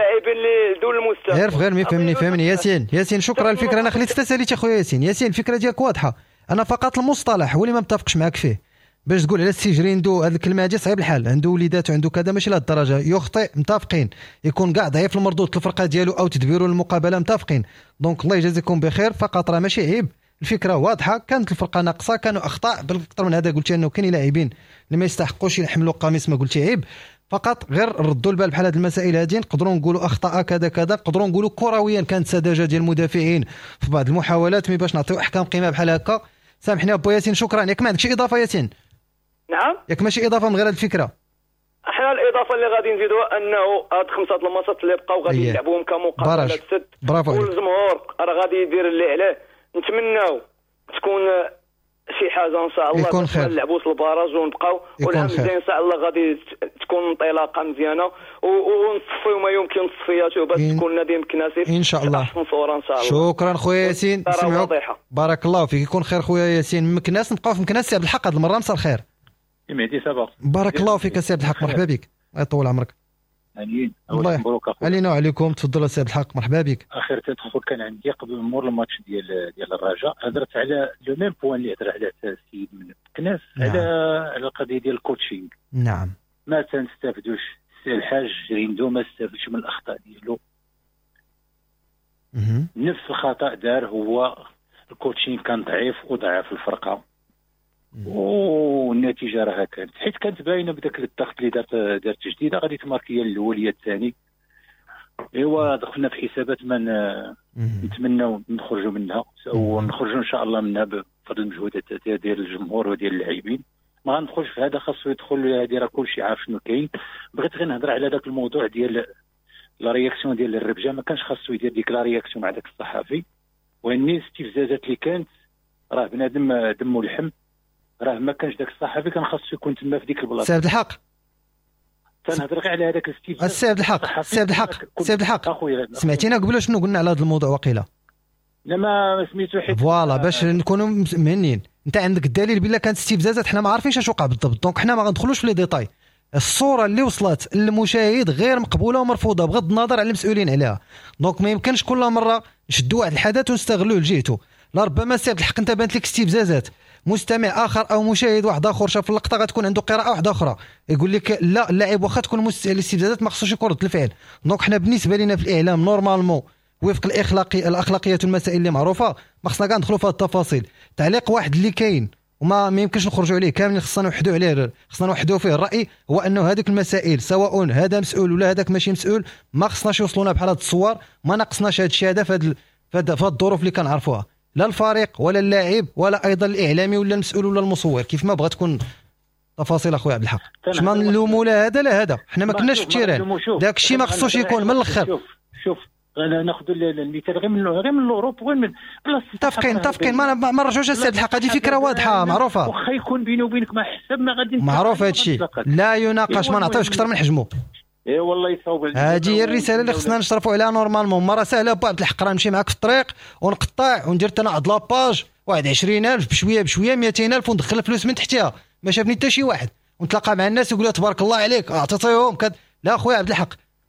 غير غير فهمني فهمني ياسين. ياسين شكرا الفكرة، انا خليت تساليتي خويا ياسين. ياسين الفكرة ديالك واضحة، انا فقط المصطلح هو اللي ما متفقش معاك فيه، باش تقول على السي جريندو هذه الكلمة هذه صعيب الحال، عنده وليدات وعنده كذا، ماشي لهذ الدرجة يخطئ، متفقين. يكون كاع ضعيف المردود الفرقة ديالو او تدبيرو المقابلة، متفقين. donc الله يجازيكم بخير، فقط راه ماشي عيب، الفكرة واضحة، كانت الفرقة ناقصه، كانوا اخطاء، بل اكثر من هذا قلت انه كاين لاعبين اللي ما يستحقوش يحملوا قميص، ما قلتي عيب، فقط غير ردوا البال بحال هذه المسائل هذه. نقدروا نقولوا اخطاء كذا كذا، نقدروا نقولوا كرويا كانت سذاجة ديال المدافعين في بعض المحاولات، mais باش نعطيو احكام قيمة بحال هكا. سامحني ابو ياسين، شكرا. ياك ما عندك شي اضافه ياسين؟ نعم، ياك ماشي اضافه من غير هذه الفكرة؟ احنا الاضافة اللي غادي نزيدوها انه هاد 5 الماتشات اللي بقاو غادي يلعبوهم كمقابلات سد، والجمهور راه غادي يدير اللي عليه. نتمناو تكون شي حاجة ان شاء الله، يكون خير، ما نلعبوش ال barrage ونبقاو، والعام الجاي ان شاء الله غادي تكون انطلاقة مزيانه ونصفيو ما يمكن تصفياته باش تكون نادي مكناسي ان شاء الله احسن صوره ان شاء الله. شكرا خويا ياسين، نسمعوك، بارك الله فيك، يكون خير خويا ياسين. مكناس، نبقاو في مكناس. سي عبد الحق هذه المرة مساء الخير. مهدي ça va، بارك الله فيك سي عبد الحق، مرحبا بك، الله يطول عمرك. امين، مبروك اخويا. علينا وعليكم، تفضل سي عبد الحق، مرحبا بك. اخر تدخل كان عندي قبل مور الماتش ديال الرجاء، هضرت على le même point اللي هضر عليه السيد من مكناس. نعم. على القضية ديال ال coaching. نعم، ما تنستافدوش، الحاج ريندو ما استافدش من الاخطاء ديالو. نفس الخطا دار هو، ال coaching كان ضعيف وضعف الفرقة، والنتيجة راها كانت، حيت كانت باينة بداك الضغط اللي دارت جديدة غادي تماركيه الاول يا الثاني. ايوا دخلنا في حسابات ما نتمناو نخرجوا منها، ونخرجوا ان شاء الله منها بفضل المجهودات ديال الجمهور وديال اللاعبين. ما غندخلش في هذا، خاصو يدخل هذه، راه كلشي عارف شنو كاين. بغيت غير نهضر على ذاك الموضوع ديال la réaction ديال الربجه، ما كانش خاصو يدير ديك la réaction مع ذاك الصحفي، وان الاستفزازات اللي كانت راه بنادم دمو لحم، راه ما كانش داك الصحفي كان خاصو يكون تما في ديك البلاصة. سي عبد الحق، تنهضر غير على هذاك الاستفزاز. السي عبد الحق، سي عبد الحق، سي عبد الحق، سمعتينا قبل شنو قلنا على هذا الموضوع وقيله؟ لا ما سميتو حيت voilà باش نكونوا مهنيين. انت عندك الدليل بلا كانت استفزازات، حنا ما عارفينش اش وقع بالضبط، donc حنا ما غندخلوش في les détails. الصورة اللي وصلت للمشاهد غير مقبولة ومرفوضه بغض النظر على المسؤولين عليها، donc ما يمكنش كل مرة نشدوا واحد الحدث ونستغلوه لجهته. لربما سي عبد الحق انت بانت لك استفزازات، مستمع اخر او مشاهد واحد اخر شاف اللقطة غتكون عنده قراءة واحدة اخرى، يقول لك لا اللاعب واخا تكون الاستفزازات ما خصوش يكون رد الفعل. donc حنا بالنسبة لنا في الاعلام normalement وفق الاخلاقيات والمسائل اللي معروفة ما خصنا كاع ندخلوا في هذه التفاصيل. تعليق واحد اللي كاين وما يمكنش نخرجوا عليه كاملين، خصنا نوحدوا عليه، خصنا نوحدوا فيه الراي، هو انه هذيك المسائل سواء هذا مسؤول ولا هذاك ماشي مسؤول ما خصناش يوصلونا بحال هاد الصور، ما ناقصناش هذا الشيء هذا في هاد الظروف اللي كنعرفوها، لا الفريق ولا اللاعب ولا ايضا الاعلامي ولا المسؤول ولا المصور، كيف ما بغات تكون تفاصيل اخويا عبد الحق. باش ما نلوموا لا هذا لا هذا، حنا ما كناش في ال terrain، داك الشيء ما خصوش يكون من الاخر. شوف ناخذ المثال غير من l'Europe وغير من بلاصة. متفقين ما نرجعوش لسي عبد الحق، هذه فكرة واضحة معروفة، واخا يكون بيني وبينك ما حسب ما غادي معروف هذا الشيء لا يناقش، ما نعطيوش اكثر من حجمه. اي والله يصاوب. هذه هي الرسالة اللي خصنا نشرفوا عليها normalement. مرة سهلة با عبد الحق، راه نمشي معاك في الطريق ونقطع وندير انا عند la page واحد 20000 بشوية بشوية 200000 وندخل الفلوس من تحتها، ما شافني حتى شي واحد، ونتلاقى مع الناس يقولوا تبارك الله عليك اعطيتيهم كد. لا خويا عبد الحق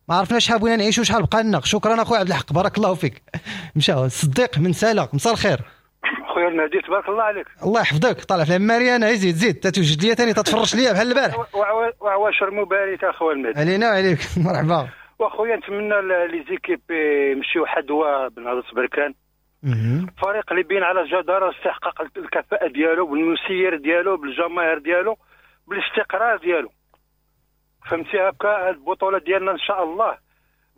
ما عرفناش شحال بغينا نعيشوا شحال بقى لنا. شكرا اخويا عبد الحق بارك الله فيك. مشى الصديق من سالا، مساء الخير خويا المهدي تبارك الله عليك. الله يحفظك. طالع في العماريه زيد زيد تتوجد ليا ثاني تتفرش ليا بحال البارح. وعواشر مباركة اخويا المهدي. علينا وعليك مرحبا. واخويا نتمنى les équipes يمشيو حدوه بنهضه بركان، فريق اللي بين على جداره استحقاق الكفاءة ديالو بالمسير ديالو بالجماهير ديالو بالاستقرار ديالو، فهمتي؟ هكا البطولة ديالنا ان شاء الله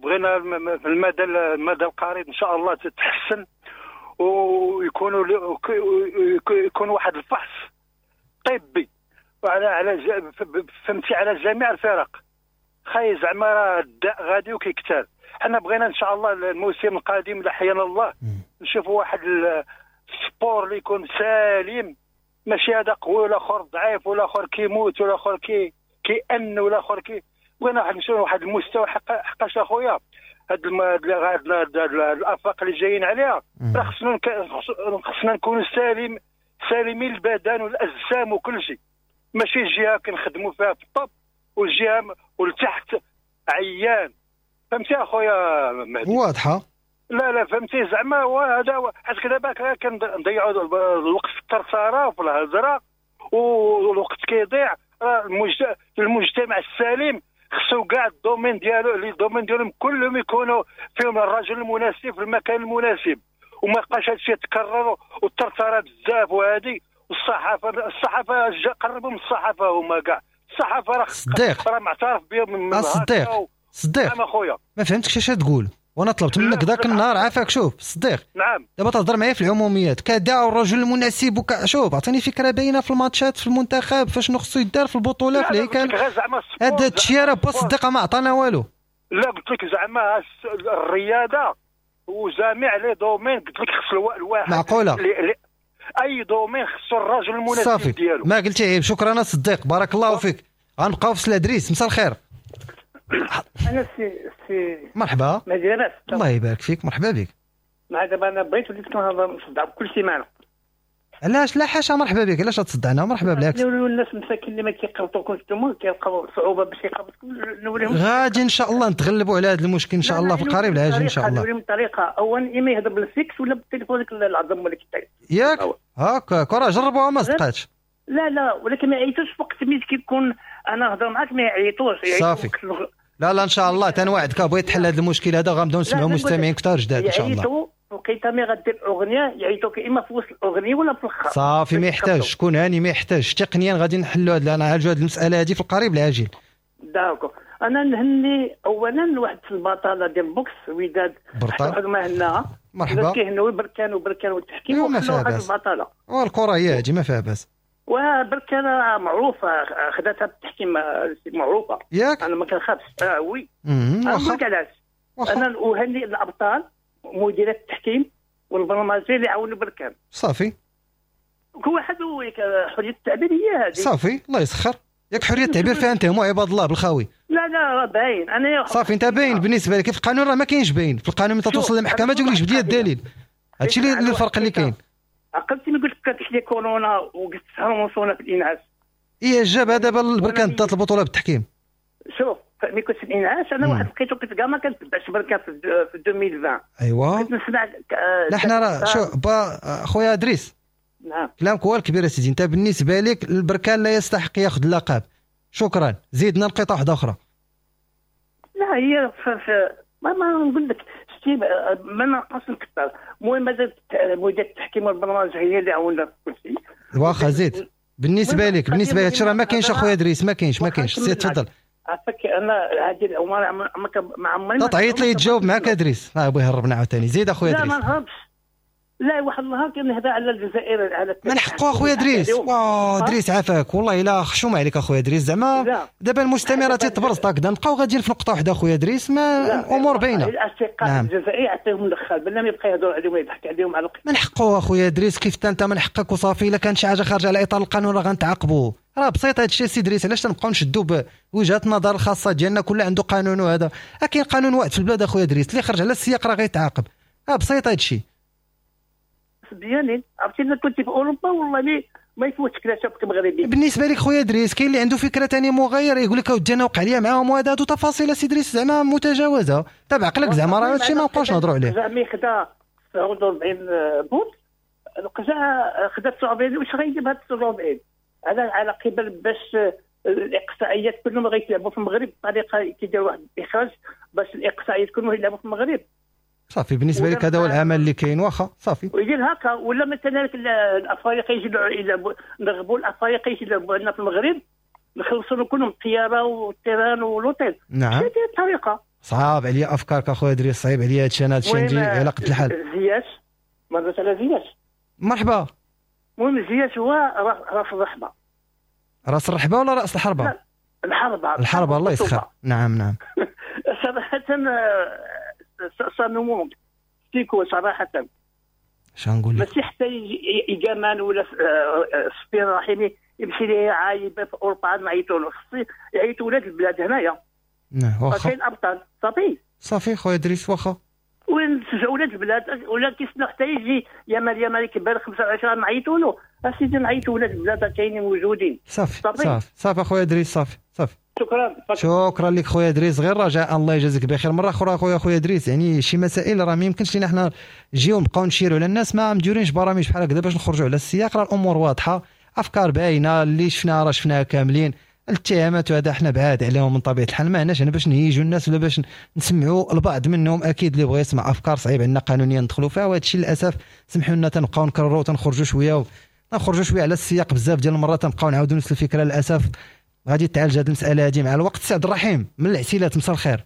بغينا في المدى القريب ان شاء الله تتحسن، ويكونوا يكون واحد الفحص طبي على فهمتي على جميع الفرق. خاي زعما راه الداء غادي وكيكثر. حنا بغينا ان شاء الله الموسم القادم لا حيانا الله نشوفوا واحد ال sport اللي يكون سالم، ماشي هذا قوي ولا اخر ضعيف ولا اخر كيموت ولا اخر كيأن ولا اخر كي. بغينا نمشيو لواحد المستوى حقاش اخويا هاد الافاق اللي جايين عليها راه خصنا نكونوا سالمين البدن والاجسام وكل شيء، ماشي الجهة كنخدموا فيها في ال top والجهة والتحت عيان، فهمتي اخويا مهدي؟ واضحة. لا فهمتي زعما هذا حيت دابا كنضيعوا الوقت في الثرثره وفي الهضرة والوقت كيضيع. المجتمع السليم خصو كاع ال domaines ديالو، les domaines ديالهم كلهم يكونوا فيهم الرجل المناسب في المكان المناسب، وما يبقاش هادشي يتكرر والثرثره بزاف وهادي. والصحافة قربوا من الصحافة، هما كاع الصحافة راه معترف بهم من الصديق. صديق نعم اخويا ما فهمتكش اش تقول، وانا طلبت منك ذاك النهار عافاك. شوف صديق، نعم دابا تهضر معايا في العموميات كداع الرجل المناسب شوف اعطيني فكرة باينة في الماتشات في المنتخب فاش خصو يدار في البطولة في الهيكل. هذا الشيء راه با صديق ما عطانا والو. لا قلت لك زعما الرياضة وجميع les domaines، قلت لك خص الواحد معقولة اي domaine خصو الرجل المناسب ديالو. ما قلتي عيب. شكرا صديق بارك الله فيك. غنبقاو في سلادريس. مساء الخير. انا سي مرحبا. مزيان الله يبارك فيك. مرحبا بك. مع دابا انا بغيت وليت كنهضر نصدع كل سيمانه. علاش؟ لا حاشا مرحبا بك. علاش تصدعنا؟ مرحبا بالعكس. الناس مساكين اللي ما كيقبطوكمش نتوما كيلقاو صعوبة باش يقبطوكم. نوريهم غادي ان شاء الله نتغلبوا على هذا المشكل ان شاء الله في القريب العاجل ان شاء الله. نوريهم الطريقة اولا، اما يهضر بالفيكس ولا بالتليفون ديك العظم ولا كيتعيط ياك هكاك راه جربوها ما صدقاتش. لا ولكن ما يعيطوش في وقت ملي كيكون انا نهضر معاك ما يعيطوش. صافي. لا ان شاء الله تنوعدك بغيت تحل هذا المشكل هذا غنبداو نسمعوا مستمعين كثار جداد ان شاء الله. يعيطوا وقيته مي غدير اغنية يعيطوك اما في وسط الاغنية ولا في الاخر. صافي ما يحتاج شكون هاني، ما يحتاج تقنيا غادي نحلوا هذا نعالجوا هذه المسالة هذه في القريب العاجل. d'accord. انا نهني اولا واحد البطلة ديال ال boxe وداد برطال ما هناها. مرحبا. كيهنوا بركان وبركان والتحكيم وخلوا واحد البطلة. والكره هي هذه ما فيها باس. وبركان معروفة خداتها بالتحكيم معروفة ياك. انا ما كنخافش. oui انا نقول لك علاش. انا اهني الابطال مديرات التحكيم والبرمجة اللي عاونوا بركان. صافي كل واحد حرية التعبير هي هذه. صافي الله يسخر. ياك حرية التعبير فيها انت مو عباد الله بالخاوي. لا باين انا صافي انت باين بالنسبة لك في القانون راه ما كاينش باين في القانون. ملي توصل للمحكمة تقول لك جبد لي الدليل. هادشي اللي الفرق اللي كاين. عقلتي ملي قلت لك كانت لي كورونا وقلت شهر ونص في الانعاش. ايه جاب هذا بركان دات البطولة بالتحكيم. شوف ملي كنت في الانعاش انا واحد لقيتو كنت كاع ما كنتبعش بركان في 2020. ايوا كنت نسمع. لا حنا راه شوف با خويا ادريس. نعم كلامك هو الكبير اسيدي. انت بالنسبة لك البركان لا يستحق ياخذ اللقب. شكرا. زيدنا نقطة واحدة اخرى. لا هي ما نقول لك شتي ما نقص نكثر. المهم مازال مدير التحكيم والبرنامج هي اللي عاوننا في كل شيء. واخا زيد. بالنسبة لك، بالنسبة لك راه ما كاينش اخويا ادريس، ما كاينش ما كاينش. سير تفضل. عافاك انا هذه الامور ما عمري تعيط لي تجاوب معاك ادريس. بغا يهربنا عاوتاني. زيد اخويا ادريس. لا ما نهربش، لا واحد النهار كنهضر على الجزائر على من حقه اخويا ادريس. واه ادريس عافاك والله الا خشومه عليك اخويا ادريس. زعما دابا المستمع راه تيتبرز هكذا، نبقاو غاديين في نقطة واحدة اخويا ادريس، ما الامور باينة. الاصدقاء نعم. الجزائر يعطيهم الدخال بلا ما يبقى يهضر عليهم ويضحك عليهم على من حقه اخويا ادريس. كيف انت من حقك وصافي. الا كان شي حاجة خارجه على اطار القانون راه غنتعاقبوا. راه بسيط هذا الشيء سي ادريس. علاش تنبقاو نشدوا بوجهات النظر الخاصة ديالنا؟ كل عنده قانون، وهذا كاين قانون واحد في البلاد اخويا ادريس، اللي خرج على السياق راه غيتعاقب. بسيط هذا الشيء. ديالي عرفتي الا كنت في اوروبا والله ما يفوتك لا شافك مغربي. بالنسبة لك خويا ادريس كاين اللي عنده فكرة ثانية مغايرة، يقول لك اودي انا وقع لي معاهم وهذا، هادو تفاصيل سي ادريس زعما متجاوزه. تابع عقلك زعما راه هادشي ما نبقاوش نهضروا عليه. زعما خدا 49 بوت، القجع خدا 49، واش غيجيب هاد 49 على قبل باش الاقصائيات كلهم غيتلعبوا في المغرب بطريقة كيديروا واحد الاخراج باش الاقصائيات كلهم يلعبوا في المغرب. صافي بالنسبة لك هذا هو العمل اللي كاين، واخا صافي. ويدير هكا ولا مثلا الافارقة يجي يلعبوا، نرغبوا الافارقة يجي يلعبوا عندنا في المغرب، نخلصوا كلهم الطيارة والتيران والوتيل. نعم هذه الطريقة. صعاب عليا افكارك اخويا ادريس، صعيب عليا هادشي. انا هادشي عندي على قد الحال. زياش ما هضرت على زياش. مرحبا. المهم زياش هو راس الرحبه. راس الرحبه ولا راس الحربة؟ لا الحربة. الحربة الله يسخر. نعم نعم. صراحة ça nous manque سيكو صراحة. شنو نقول لك؟ ماشي حتى يجامان ولا سفيان رحيمي يمشي ليه عايبه في اوروبا عاد نعيطوا له، خص يعيطوا ولاد البلاد هنايا. نعم واخا. كاين ابطال صافي. صافي خويا ادريس واخا. وين نشجعوا ولاد البلاد ولا كيسناو حتى يجي يامال كبر 25 نعيطوا له. اسيدي نعيطوا ولاد البلاد كاينين موجودين. صافي صافي صافي اخويا ادريس صافي صافي. شكرا شكرا لك خويا ادريس. غير رجاء الله يجازيك بخير. مرة اخرى خويا ادريس، يعني شي مسائل راه ما يمكنش لينا حنا نجيو نبقاو نشيروا على الناس، ما مديورينش برامج بحال هكذا باش نخرجوا على السياق. راه الامور واضحة، افكار باينة، اللي شفناها راه شفناها كاملين. الاتهامات وهذا حنا بعاد عليهم من طبيعة الحال، ما هناش هنا باش نهيجوا الناس ولا باش نسمعوا البعض منهم. اكيد اللي بغى يسمع افكار صعيب عندنا قانونيا ندخلوا فيها، وهذا الشيء للاسف سمحوا لنا تنبقاو نكرروا وتنخرجوا شوية نخرجوا شوية على السياق بزاف ديال المرات، تنبقاو نعاودوا نفس الفكرة. للاسف غادي تعالج هذه المسالة هذه مع الوقت. سي عبد الرحيم من العسيلات، مساء الخير.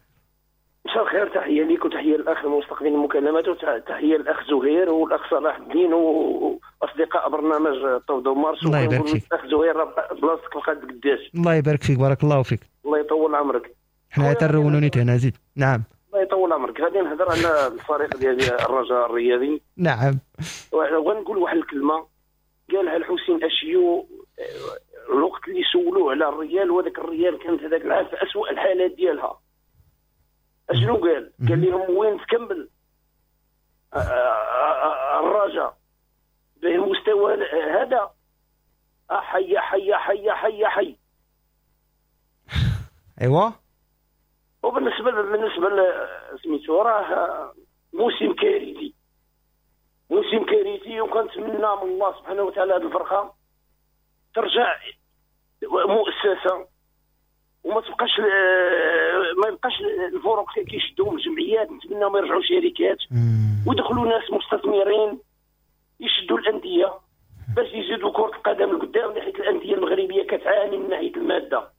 مساء الخير، تحية ليك وتحية للاخ المستقبلين المكالمات، وتحية للاخ زهير والاخ صلاح الدين واصدقاء برنامج طوب مارس. الله يبارك فيك. الاخ زهير بلاصتك لقات قداش. الله يبارك فيك، بارك الله فيك. الله يطول عمرك. حنا ترونوني هنا زيد. نعم الله يطول عمرك. غادي نهضر على الفريق ديال الرجاء الرياضي. نعم. وغنقول واحد الكلمة قالها الحسين اشيو الوقت اللي سولوه على الريال، وهذاك الريال كانت هذاك العام في اسوء الحالات ديالها. اشنو قال؟ قال لهم وين تكمل الرجاء بالمستوى هذا؟ حي حي حي حي حي. ايوا. وبالنسبة بالنسبة سميتو راه موسم كارثي، موسم كارثي، وكنتمنى من الله سبحانه وتعالى هذه الفرقة ترجع مؤسسة وما تبقاش، ما يبقاش الفرق كيشدوهم الجمعيات. نتمنى ما يرجعوا شركات ويدخلوا ناس مستثمرين يشدوا الاندية باش يزيدوا كره القدم لقدام، حيت الاندية المغربية كتعاني من ناحية المادة.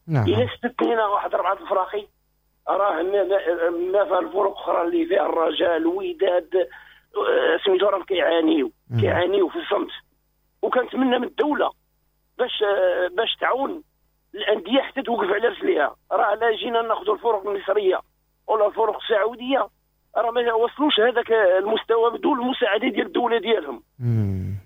نعم. الا استثنينا واحد 4 الفراقي راه ما فيها الفرق اخرى اللي فيها الرجاء الوداد سميتو راه كيعانيو في الصمت. وكنتمنى من الدولة باش تعاون الاندية حتى توقف على رجليها. راه لا جينا ناخذوا الفرق المصرية ولا الفرق السعودية راه ما وصلوش هذاك المستوى بدون المساعدة ديال الدولة ديالهم.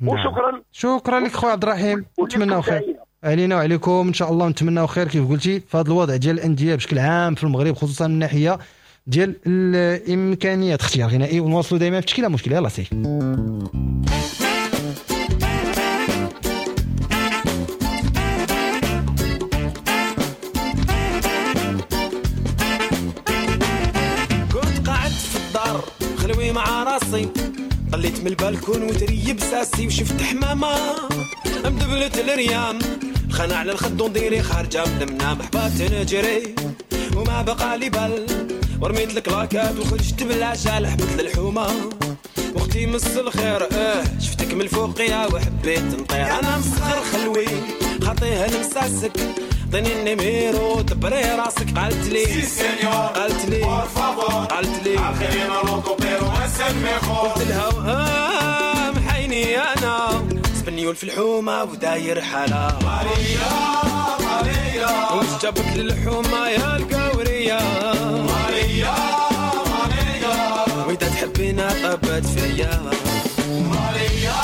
وشكرا. شكرا لك خويا عبد الرحيم، نتمناو خير علينا وعليكم ان شاء الله. نتمناو خير كيف قلتي في هذا الوضع ديال الاندية بشكل عام في المغرب، خصوصا من الناحية ديال الامكانيات. اختيار غنائي ونواصلوا دائما في تشكيله مشكلة. يلا سي. خلوي مع راسي طليت من البالكون وتريب ساسي وشفت حمامة مدبلة الريام خانة على الخد ونديري خارجة من المنام حبات نجري وما بقى لي بال ورميت الكلاكات وخرجت بالعجال حبت للحومة واختي مس الخير شفتك من الفوقية وحبيت نطير. انا مسخر خلوي خاطيها لمساسك، عطيني ال numéro دبري راسك. قالت لي قالت لي قالت لي، قلت لها محيني انا سبنيول في الحومه وداير حالة. ماريا ماريا وش جابك للحومه يا القوريه؟ ماريا ماريا وإذا تحبينا طبت فيا. ماريا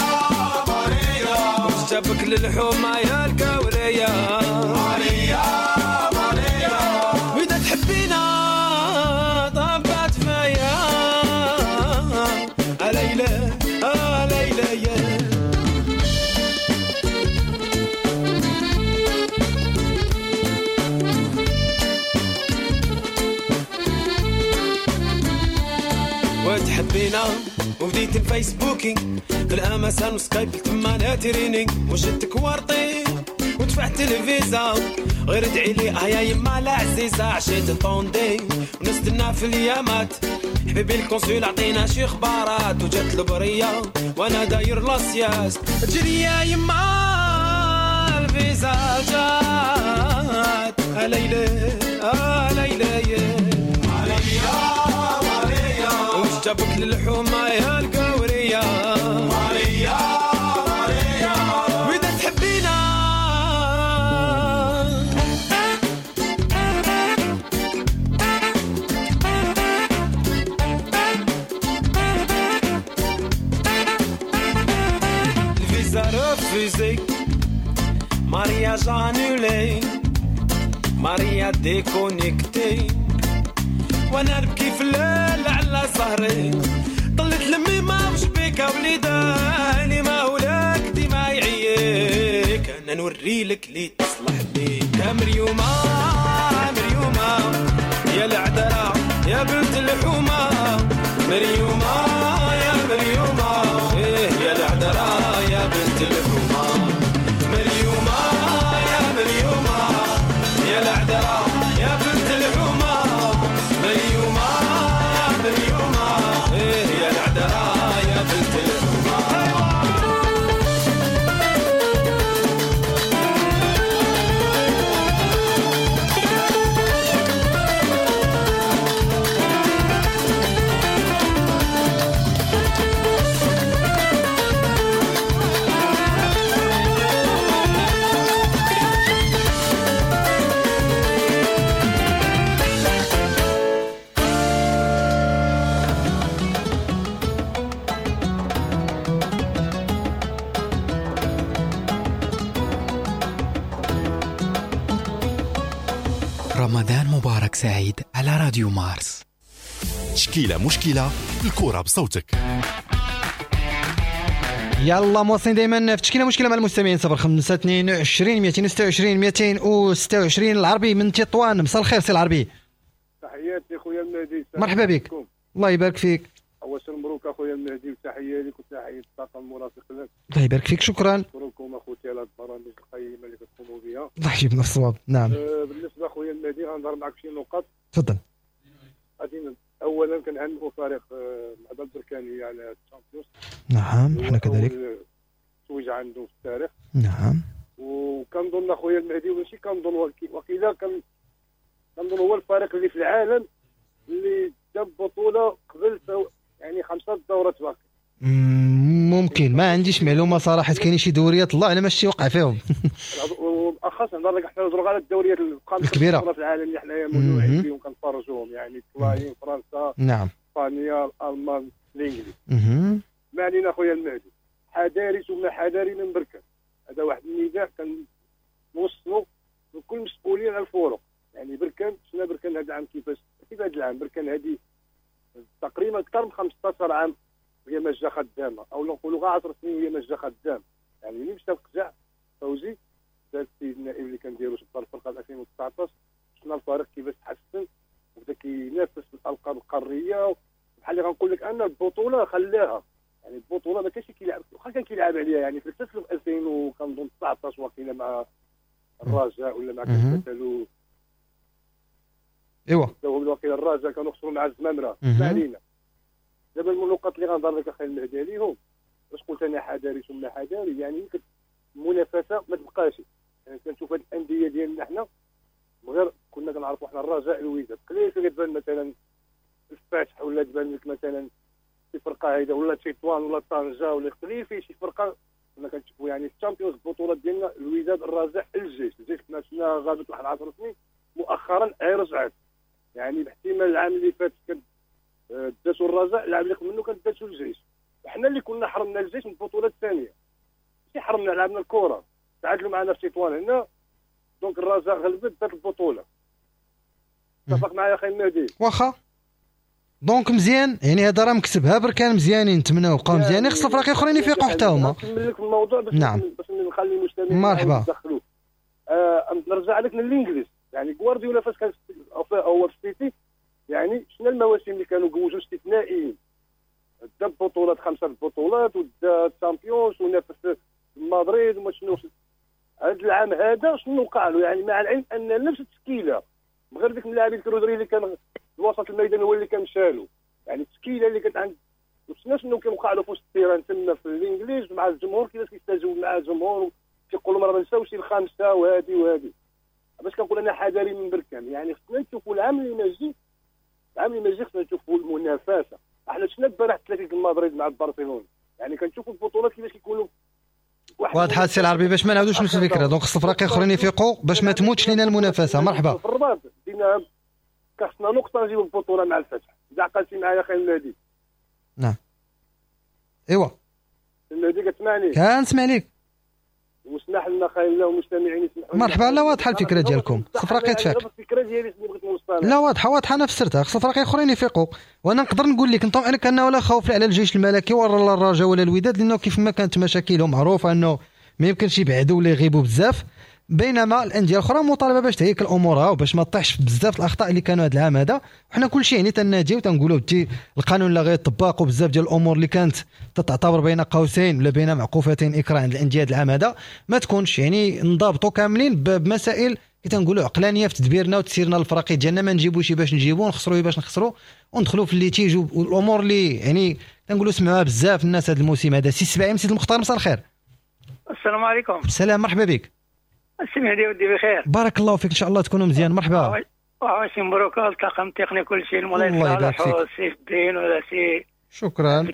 ماريا وش جابك للحومه يا القوريه؟ ماريا ماريا وإذا تحبينا طبت فيا. ليلى ليلى يا وتحبينا وبديت الفيسبوكي في الامازون وسكايب تما ناتريني، وجدتك ورطي ودفعت الفيزا غير ادعي لي يا يما العزيزة. عشيت طوندي ونستنى في اليامات، حبيبي ال consul عطينا شي خبارات، وجات البرية وانا داير la sieste. تجري يا يما الفيزا جات، ليلى ليلى يا وش جابك للحومة يا القورية؟ ماريا ماريا وإذا تحبينا. الفيزا refusée، mariage annulé، ماريا déconnectée، وانا نبكي في الليل على سهري. طلت لمي ما وش بيك وليداني، ما ولاك ديما يعيك، انا نوريلك لي تصلح بيك. يا مريومة مريومة يا العذراء يا بنت الحومة، مريومة يا مريومة إيه يا العذراء يا بنت الحومة، مريومة يا مريومة يا العذراء يا بنت الحومة، مريومة مريومة إيه يا العذراء يا بنت الحومة. رمضان مبارك سعيد على راديو مارس. تشكيلة مشكلة، الكرة بصوتك. يلا مواصلين دائما في تشكيلة مشكلة مع المستمعين 05 22 226 226. العربي من تطوان، مساء الخير سي العربي. تحياتي خويا المهدي، مرحبا بك. الله يبارك فيك. أول شيء مبروك اخويا المهدي، وتحية لك وتحية الطاقم المرافق لك. الله يبارك فيك، شكرا. نشكركم اخوتي على البرامج القيمة اللي كتقوموا بها. الله يجيبنا في الصواب. نعم. بالنسبة اخويا المهدي غنهضر معك في شي نقاط. تفضل. غادي اولا كنهنئوا فريق العدالة البركانيه على ال Champions. نعم حنا كذلك. توج عنده في التاريخ. نعم. وكنظن اخويا المهدي ماشي كنظن وقيلا كنظن هو الفريق اللي في العالم اللي جاب بطوله قبل يعني 5 دورات باقي. ممكن ما عنديش معلومة صراحة، كاين شي دوريات الله اعلم اش وقع فيهم. وبالاخص نهضر لك حنا نهضروا على الدوريات الكبيرة في العالم اللي حنايا مولوعين فيهم كنتفرجوهم، يعني الطلايين، فرنسا، نعم، اسبانيا، الالمان، الانجليز. ما علينا خويا المهدي، حذاري ثم حذاري من بركان. هذا واحد النداء كنوصلوا لكل مسؤولين على الفرق. يعني بركان شفنا بركان هذا العام كيفاش، كيف هذا العام بركان هذه تقريبا اكثر من 15 عام وهي ماجه خدامه، او نقولوا غير 10 سنين وهي ماجه خدامه. يعني ملي مشى القجع فوزي دار السيد النائب اللي كنديرو شبطه الفرقة 2019، شفنا الفريق كيفاش تحسن وبدا كينافس في الالقاب القارية. بحال اللي غنقول لك ان البطولة خلاها، يعني البطولة ما كانش كيلعب، واخا كان كيلعب عليها يعني في الفصل 2000 وكنظن 19 وقيله مع الرجاء ولا مع كتالو، ايوا وقيله الرجاء كانوا خسروا مع الزمامره. ما علينا. دابا النقط اللي غنهضر لك اخي المهدي عليهم، باش قلت قلت انا حذاري ثم حذاري، يعني المنافسة ما تبقاش. يعني كنشوف هاد الاندية ديالنا حنا غير كنا كنعرفوا حنا الرجاء الوداد، قليل فين كتبان مثلا الفتح ولا تبان لك مثلا شي فرقه هيدا ولا تطوان ولا طنجه ولا قليل فيه شي فرقه. كنا كنشوفوا يعني ال Champions البطولات ديالنا الوداد الرجاء الجيش، الجيش كنا شفناها غابت واحد 10 سنين مؤخرا هي رجعت، يعني باحتمال العام اللي فات كان داتو الرجاء، العام اللي قبل منه كان داتو الجيش. وحنا اللي كنا حرمنا الجيش من البطولة الثانية، ماشي حرمنا، لعبنا الكره، تعادلوا معنا في تطوان هنا، donc الرجاء غلبت دات البطولة. اتفق معايا اخي المهدي؟ واخا donc مزيان، يعني هذا راه مكسبها بركان مزيانين، نتمناو بقاو مزيانين، خص الفرق الاخرين يفيقوا حتى هما. نكمل لك الموضوع باش نعم. باش نخلي المستمعين مرحبا. يدخلوا. نرجع لك للانجليز، يعني غوارديولا فاش كان هو في السيتي، يعني شنو المواسم اللي كانوا جوجوا استثنائيين، دا بطولات 5 بطولات ودا Champions ونافس مدريد وما شنو. هذا العام هذا شنو وقع له؟ يعني مع العلم ان نفس التشكيلة غير ديك اللاعبين كرودري اللي كان وسط الميدان هو اللي كان مشالو، يعني التشكيلة اللي كانت عند وشنا شنو كيوقع له في وسط ال terrain تما في الانجليز مع الجمهور، كيفاش كيستجوب مع الجمهور كيقولوا راه ما نساوش الخامسة وهذه وهذه. باش كنقول انا حذاري من بركان، يعني خصنا نشوفوا العام اللي ماجي، العام اللي ماجي خصنا نشوفوا المنافسة. احنا شفنا البارح 3 مدريد مع برشلونة، يعني كنشوفوا البطولات كيفاش كيكونوا واضحة السي العربي، باش ما نعاودوش نفس الفكرة. donc خص الفرق الاخرين يفيقوا باش ما تموتش لينا المنافسة. مرحبا. في الرباط دينا خصنا نقطة نجيبوا البطولة مع الفتح، اذا عقلتي معايا اخي المهدي. نعم ايوا المهدي كتسمعني؟ كنسمع ليك. وسمح لنا خير الله والمستمعين يسمحوا لنا. مرحبا. لا واضحة الفكرة ديالكم، خص الفرق يتفاق. الفكرة ديالي اللي بغيت نوصلها لا واضحة واضحة، انا فسرتها. خص الفرق الاخرين يفيقوا، وانا نقدر نقول لك نطمئنك انه لا خوف لا على الجيش الملكي ولا الرجاء ولا الوداد، لانه كيف ما كانت مشاكلهم معروفة انه ما يمكنش يبعدوا ولا يغيبوا بزاف، بينما الاندية الاخرى مطالبه باش تهيكل امورها وباش ما تطيحش بزاف الاخطاء اللي كانوا هذا العام هذا. وحنا كلشي يعني تناديو تنقولوا بدي القانون لا غير يطبق، وبزاف ديال الامور اللي كانت تتعتبر بين قوسين ولا بين معقوفتين اكراه عند الاندية هذا العام هذا ما تكونش، يعني نضابطوا كاملين بمسائل كي تنقولوا عقلانية في تدبيرنا وتسيرنا الفراقي ديالنا، ما نجيبوش باش نجيبو نخسروا باش نخسروا وندخلوا في ال litige والامور اللي يعني تنقولوا سمعوها بزاف الناس هذا الموسم هذا. سي السباعي سيد المختار، مساء الخير. السلام عليكم. السلام، مرحبا بك. السي مهدي ودي بخير. بارك الله فيك، ان شاء الله تكونوا مزيان. مرحبا. وعواشي مبروك الطاقم التقني كل شيء، المولاي صالح وسي الدين ولا سي شكرا عبد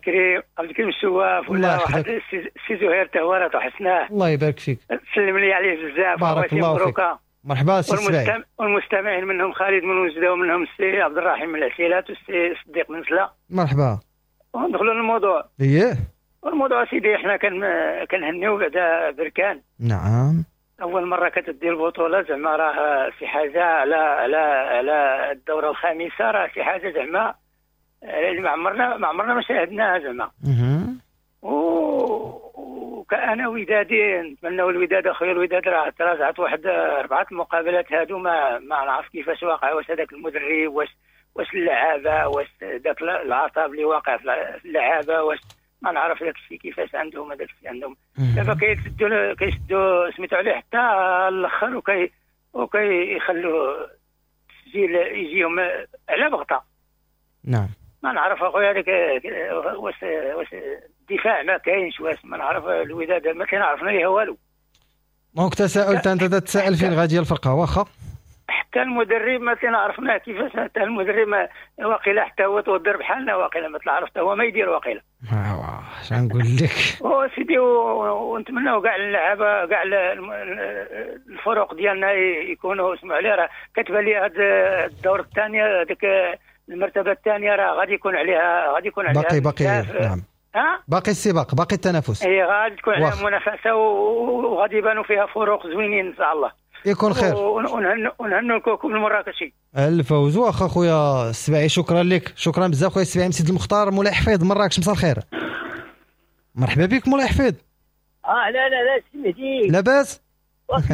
الكريم السواف ولا واحد سي زهير تهوره وحسناه. الله يبارك فيك، سلم لي عليه بزاف. بارك الله فيك. مرحبا سي السباعي. والمستمعين منهم خالد من وجده ومنهم السي عبد الرحيم من العسيلات والسي صديق من سلا. مرحبا. وندخلوا للموضوع. اييه الموضوع سيدي، احنا كنهنيو بعدا بركان. نعم، اول مرة كتدي البطولة زعما راه شي حاجة على على على الدورة الخامسة، راه شي حاجة زعما اللي ما عمرنا ما شاهدناها زعما. وكأنا ودادي نتمنوا الوداد اخويا، الوداد راه تراجعت واحد 4 المقابلات هادو ما نعرف كيفاش واقع، واش هذاك المدرب واش اللعابه واش ذاك العطاب اللي واقع في اللعابه، واش ما نعرف داك الشيء كيفاش عندهم هذاك الشيء عندهم. دابا كيشدوا سميتو عليه حتى الاخر وكيخلوا التسجيل يجيهم على بغطه. نعم ما نعرف اخويا هذاك واش الدفاع ما كاينش، واش ما نعرف الوداد ما كنعرفنا ليها والو. donc تساؤل انت تتساءل فين غادية الفرقة. واخا حتى المدرب ما كنعرفناه كيفاش، حتى المدرب واقيلا حتى هو تودر بحالنا، واقيلا ما تعرف حتى هو ما يدير واقيلا. اش نقول لك سيدي، ونتمناو كاع اللعابه كاع الفرق ديالنا يكونوا اسمعوا عليه. راه كتبان لي هذا الدور الثاني هذيك المرتبة الثانية راه غادي يكون عليها، غادي يكون عليها باقي نعم باقي السباق، باقي التنافس، اي غادي تكون عليها منافسه وغادي يبانوا فيها فروق زوينين ان شاء الله. يكون خير ونهنوا الكوكب المراكشي الفوز. واخا خويا السباعي شكرا لك، شكرا بزاف خويا السباعي. سيد المختار مولاي حفيظ مراكش، مساء الخير. مرحبا بك مولاي حفيظ. لا لا لا سي مهدي، لاباس؟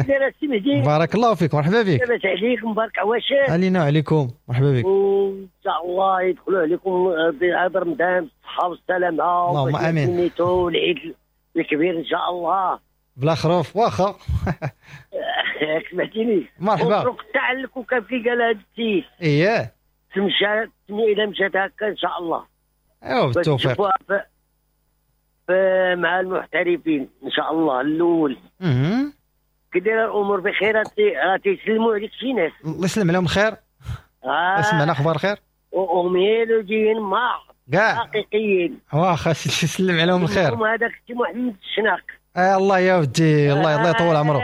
لا سي مهدي، بارك الله فيك، مرحبا بك. لاباس عليك، مبارك عواشر علينا وعليكم، مرحبا بك. وان شاء الله يدخلوا عليكم هذا رمضان بالصحة والسلامة، اللهم امين، والعيد الكبير ان شاء الله بلا خروف. واخا سمعتيني؟ مرحبا. مبروك تاع الكوكب كي قال هذا السيد. اييه تمشى الى مشات هكا ان شاء الله. ايوا بالتوفيق. مع المحترفين ان شاء الله الاول. كي دايرة الامور بخير؟ راه تيسلموا عليك شي ناس. الله يسلم عليهم الخير. سمعنا اخبار خير. وميلوديين ما كاع حقيقيين. واخا سلم عليهم الخير. هذاك السي محمد الشناق. الله يا ودي، الله يطول عمره.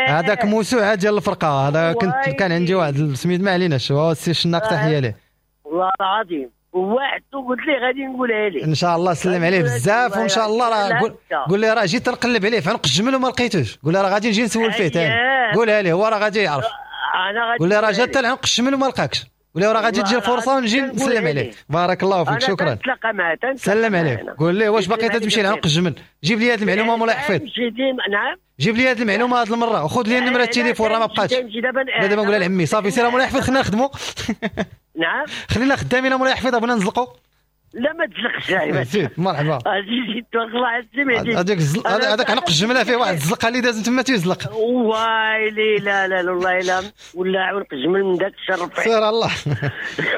هذاك موسوعة ديال الفرقة هذا. كنت كان عندي واحد سميت ما عليناش، هو السي الشناق تحية ليه. والله العظيم وواحد قلت لي غادي نقولها ليه ان شاء الله. سلم عليه بزاف وان شاء الله راه قول لي راه جيت نقلب عليه في عنق الجمل وما لقيتوش. قول لي راه غادي نجي نسول فيه ثاني. قولها ليه هو راه غادي يعرف. انا غادي قول لي راه جات حتى لعنق الجمل وما لقاكش. قول لي راه غادي تجي الفرصة ونجي نسلم عليه. بارك الله فيك، شكرا. سلم عليه، قول ليه واش باقي تمشي لعنق الجمل؟ جيب لي هذه المعلومة مولاي حفيظ. نعم جيب لي هذه المعلومة هذه المرة وخذ لي نمره التليفون راه ما بقاتش. لا دابا نقولها لعمي صافي. سير مولاي حفيظ خلينا نخدموا. نعم خلينا خدامين مولاي حفيظ بغينا نزلقوا. لا ما تزلقش. زيد مرحبا. زيد تبارك الله على السي. هذاك هذاك عنق الجملة فيه واحد الزلقه اللي دازت تما تيزلق. وايلي لا لا لا والله لا ولا عنق الجمل من ذاك الشرف. سير الله.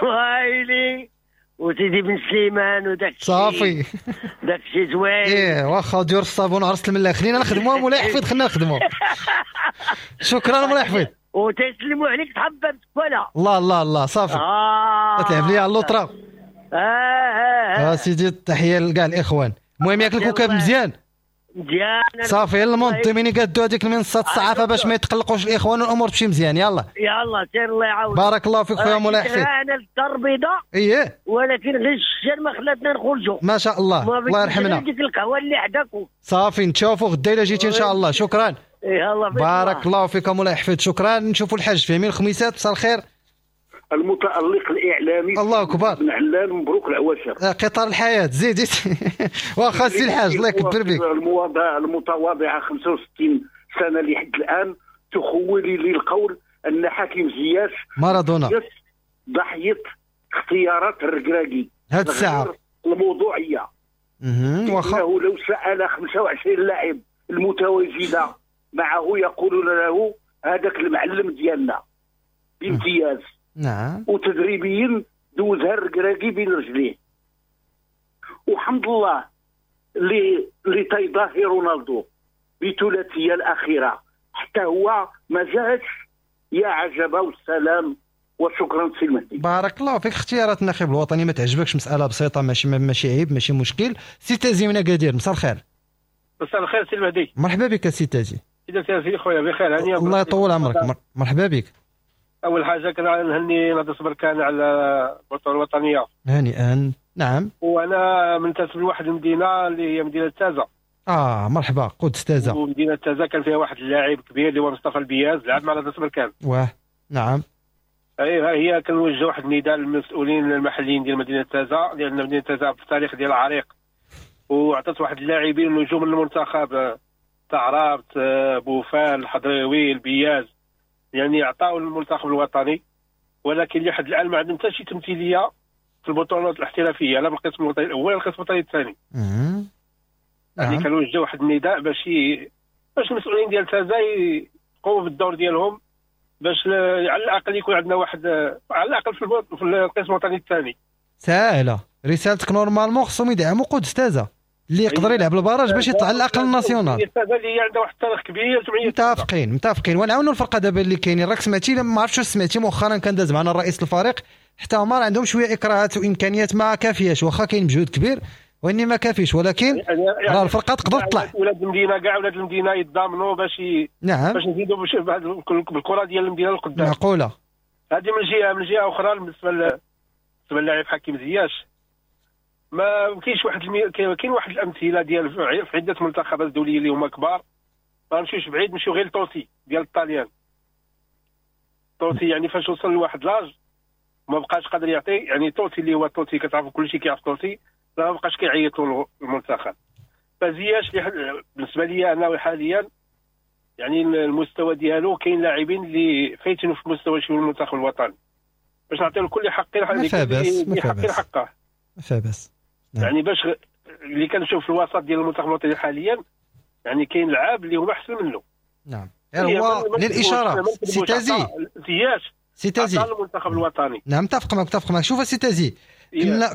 وايلي وسيدي بن سليمان وداك صافي داك الشيء زوين. ايه واخا ديور الصابون وعرسة الملاح. خلينا نخدموا مولاي حفيظ، خلينا نخدموا. شكرا مولاي حفيظ. وتسلموا عليك تحبب ولا الله الله الله صافي. تلعب لي على اللوطره. سيدي تحية لكاع الاخوان. المهم ياك الكوكب مزيان مزيان صافي. المنظمين قادوا هذيك المنصات الصحافة باش ما يتقلقوش الاخوان والامور تمشي مزيان. يلا يلا سير الله يعاون. بارك الله فيك خويا مولاي حفيظ. انا الدار البيضاء اييه، ولكن غير الشجر ما خلاتنا نخرجوا. ما شاء الله الله يرحمنا. ديك القهوة اللي حداكم صافي. نتشوفوا غدا الا جيتي ان شاء الله. شكرا. يلا بارك الله فيك مولاي حفيظ، شكرا. نشوفوا الحاج فهمي الخميسات. مساء الخير. المتألق الإعلامي الله أكبر بن علان، مبروك العواشر. قطار الحياة زيد. واخا سي الحاج الله يكبر بك. المتواضعة 65 سنة لحد الآن تخولي لي القول أن حكيم زياش مارادونا ضحية اختيارات الركراكي هاد الساعة الموضوعية. واخا إنه لو سأل 25 لاعب المتواجدة معه يقولون له هذاك المعلم ديالنا بامتياز. نعم. وتدريبيا دوزها الركراكي بين رجليه. وحمد الله اللي تيضاهي رونالدو بثلاثيه الاخيرة حتى هو ما جاش. يا عجبه والسلام وشكرا سي المهدي. بارك الله فيك. اختيارات الناخب الوطني ما تعجبكش، مسالة بسيطة، ماشي عيب، ماشي مشكل. سي تازي من اكادير، مساء الخير. مساء الخير سي المهدي. مرحبا بك سي تازي. اذا سي خويا بخير هانيه. الله يطول عمرك. مرحبا بك. اول حاجة كنهني نادي بركان على البطولة الوطنية. هنيئا. نعم. وانا منتسب لواحد المدينة اللي هي مدينة تازا. مرحبا، قدس تازا. ومدينة تازا كان فيها واحد اللاعب كبير اللي هو مصطفى البياز، لعب مع نادي بركان. واه نعم. ايوا هي كنوجه واحد النداء للمسؤولين المحليين ديال مدينة تازا، لان مدينة تازا في التاريخ ديال عريق وعطات واحد اللاعبين نجوم المنتخب تعرابت، بوفال، الحضريوي، البياز، يعني عطاو المنتخب الوطني، ولكن لحد الان ما عندهم حتى شي تمثيلية في البطولات الاحترافية، لا بالقسم الوطني الاول ولا القسم الوطني الثاني. يعني كنوجه واحد النداء باش المسؤولين ديال تازا يقوموا بالدور ديالهم، باش على الاقل يكون عندنا واحد على الاقل في القسم الوطني الثاني. ساهله رسالتك. normalement خصهم يدعموا قدس تازا اللي يقدر يلعب ال barrage باش يطلع على الاقل ال national. اللي عندها واحد التاريخ كبير. متفقين ونعاونوا الفرقة دابا اللي كاينين. راك سمعتي، ما عرفتش واش سمعتي مؤخرا كان داز معنا الرئيس الفريق، حتى هما عندهم شوية اكراهات وامكانيات ما كافياش، واخا كاين مجهود كبير واني ما كافيش، ولكن يعني راه الفرقة تقدر تطلع. ولاد المدينة كاع ولاد المدينة يتضامنوا باش نعم باش نزيدوا بالكرة ديال المدينة لقدام. معقولة هذه من جهة. من جهة اخرى بالنسبة للاعب حكيم زياش، ما كاينش واحد كاين واحد الامثلة ديال في عده منتخبات دولية اللي هما كبار. ما نمشيوش بعيد، نمشيو غير لطوسي ديال الطاليان. طوسي يعني فاش وصل لواحد l'âge ما بقاش قادر يعطي، يعني طوسي اللي هو طوسي كتعرفوا كلشي كيعرف طوسي، ما بقاش كيعيطوا للمنتخب. فزياش بالنسبة لي انا حاليا يعني المستوى ديالو كاين لاعبين اللي فايتين في مستوى شي المنتخب الوطني، باش نعطيو لكل حق حقه. ما باس. نعم. يعني باش اللي كنشوف في الوسط ديال المنتخب الوطني حاليا يعني كاين لعاب اللي هما احسن منه. نعم. هو للاشارة سي تازي، زياش سي تازي المنتخب الوطني. نعم متفق معك. شوف سي تازي،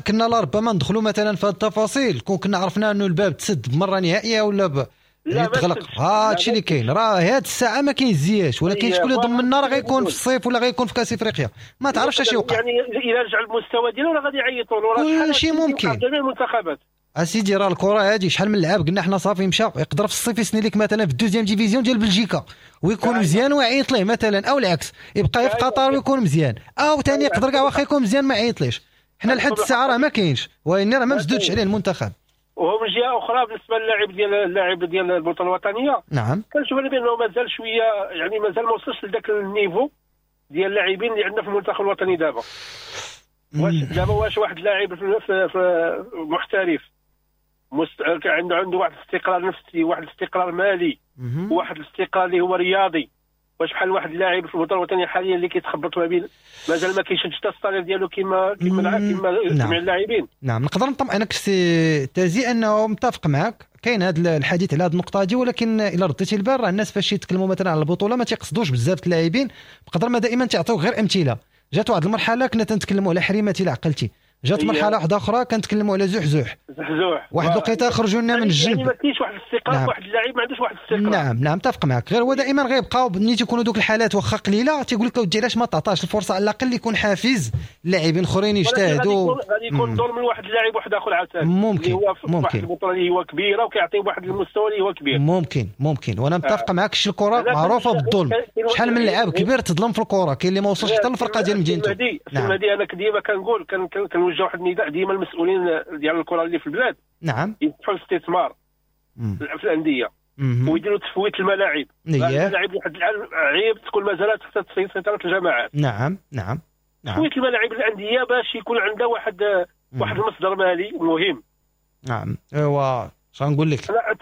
كنا لربما ندخلوا مثلا في هذه التفاصيل كون كنا عرفنا انه الباب تسد بمرة نهائية ولا يعني تغلق. هادشي اللي كاين، راه هاد الساعة ما كاين زياش، ولكن شكون اللي ضمننا راه غيكون في الصيف ولا غيكون في كاس افريقيا، ما تعرفش اش يوقع. يعني الى رجع المستوى ديالو راه غادي يعيطوا له، راه كلشي ممكن. جميع المنتخبات اسيدي راه الكره هادي شحال من لعاب قلنا حنا صافي مشى، يقدر في الصيف يسني لك مثلا في ال deuxième division ديال بلجيكا ويكون مزيان ويعيط ليه مثلا، او العكس يبقى في قطر ويكون مزيان، او ثاني يقدر كاع واخا يكون مزيان ما يعيطليش. حنا لحد الساعة راه ما كاينش، وإن راه ما مسدودش عليه المنتخب. وهو من جهة اخرى بالنسبة للاعب ديال اللاعب ديال البطولة الوطنية، نعم، كنشوف انا بانه مازال شوية، يعني مازال ما وصلش لذاك ال niveau ديال اللاعبين اللي عندنا في المنتخب الوطني دابا. واش دابا واش واحد اللاعب في محترف عنده واحد الاستقرار نفسي، واحد الاستقرار مالي، واحد الاستقرار اللي هو رياضي، واش بحال واحد اللاعب في البطولة الوطنية حاليا اللي كيتخبط ما بين مازال ما كيشدش حتى ال salaire ديالو كما جميع اللاعبين. نعم، نقدر نطمئنك سي تازي انه متفق معك، كاين هذا الحديث على هذه النقطة هذه، ولكن الا رديتي البال راه الناس فاش يتكلموا مثلا على البطولة ما تيقصدوش بزاف اللاعبين، بقدر ما دائما تعطيو غير امثلة. جات واحد المرحلة كنا تنتكلموا على حريمه الى عقلتي، جات مرحلة واحدة اخرى كنتكلموا على زحزوح، واحد الوقيته خرجوا لنا من الجنب، يعني ما كاينش واحد الاستقرار. نعم. واحد اللاعب ما عندوش واحد الاستقرار. نعم نعم، متفق معك. غير هو دائما غيبقاو ملي تيكونوا دوك الحالات واخا قليله تيقول لك اودي علاش ما تعطاش الفرصة على الاقل يكون حافز اللاعبين اخرين يجتهدوا. غادي يكون ظلم من واحد اللاعب واحد اخر عاوتاني، ممكن هو في واحد البطولة اللي هو كبيرة وكيعطيه واحد المستوى اللي هو كبير. ممكن وانا متفق معك. شي الكره معروفة بالظلم، شحال من لاعب كبير تظلم في الكره، كاين اللي ما وصلش حتى للفرقة ديال مدينته. نعم، انا ديما كنقول كنوجه واحد النداء ديما المسؤولين ديال الكره اللي في البلاد، نعم، يفتحوا الاستثمار في الاندية ويديروا تفويت الملاعب. الملاعب واحد العيب تكون مازالت تحت سيطرة الجماعات. نعم نعم نعم، تفويت الملاعب الاندية باش يكون عندها واحد المصدر مالي مهم. نعم، ايوا اش غنقول لك، لا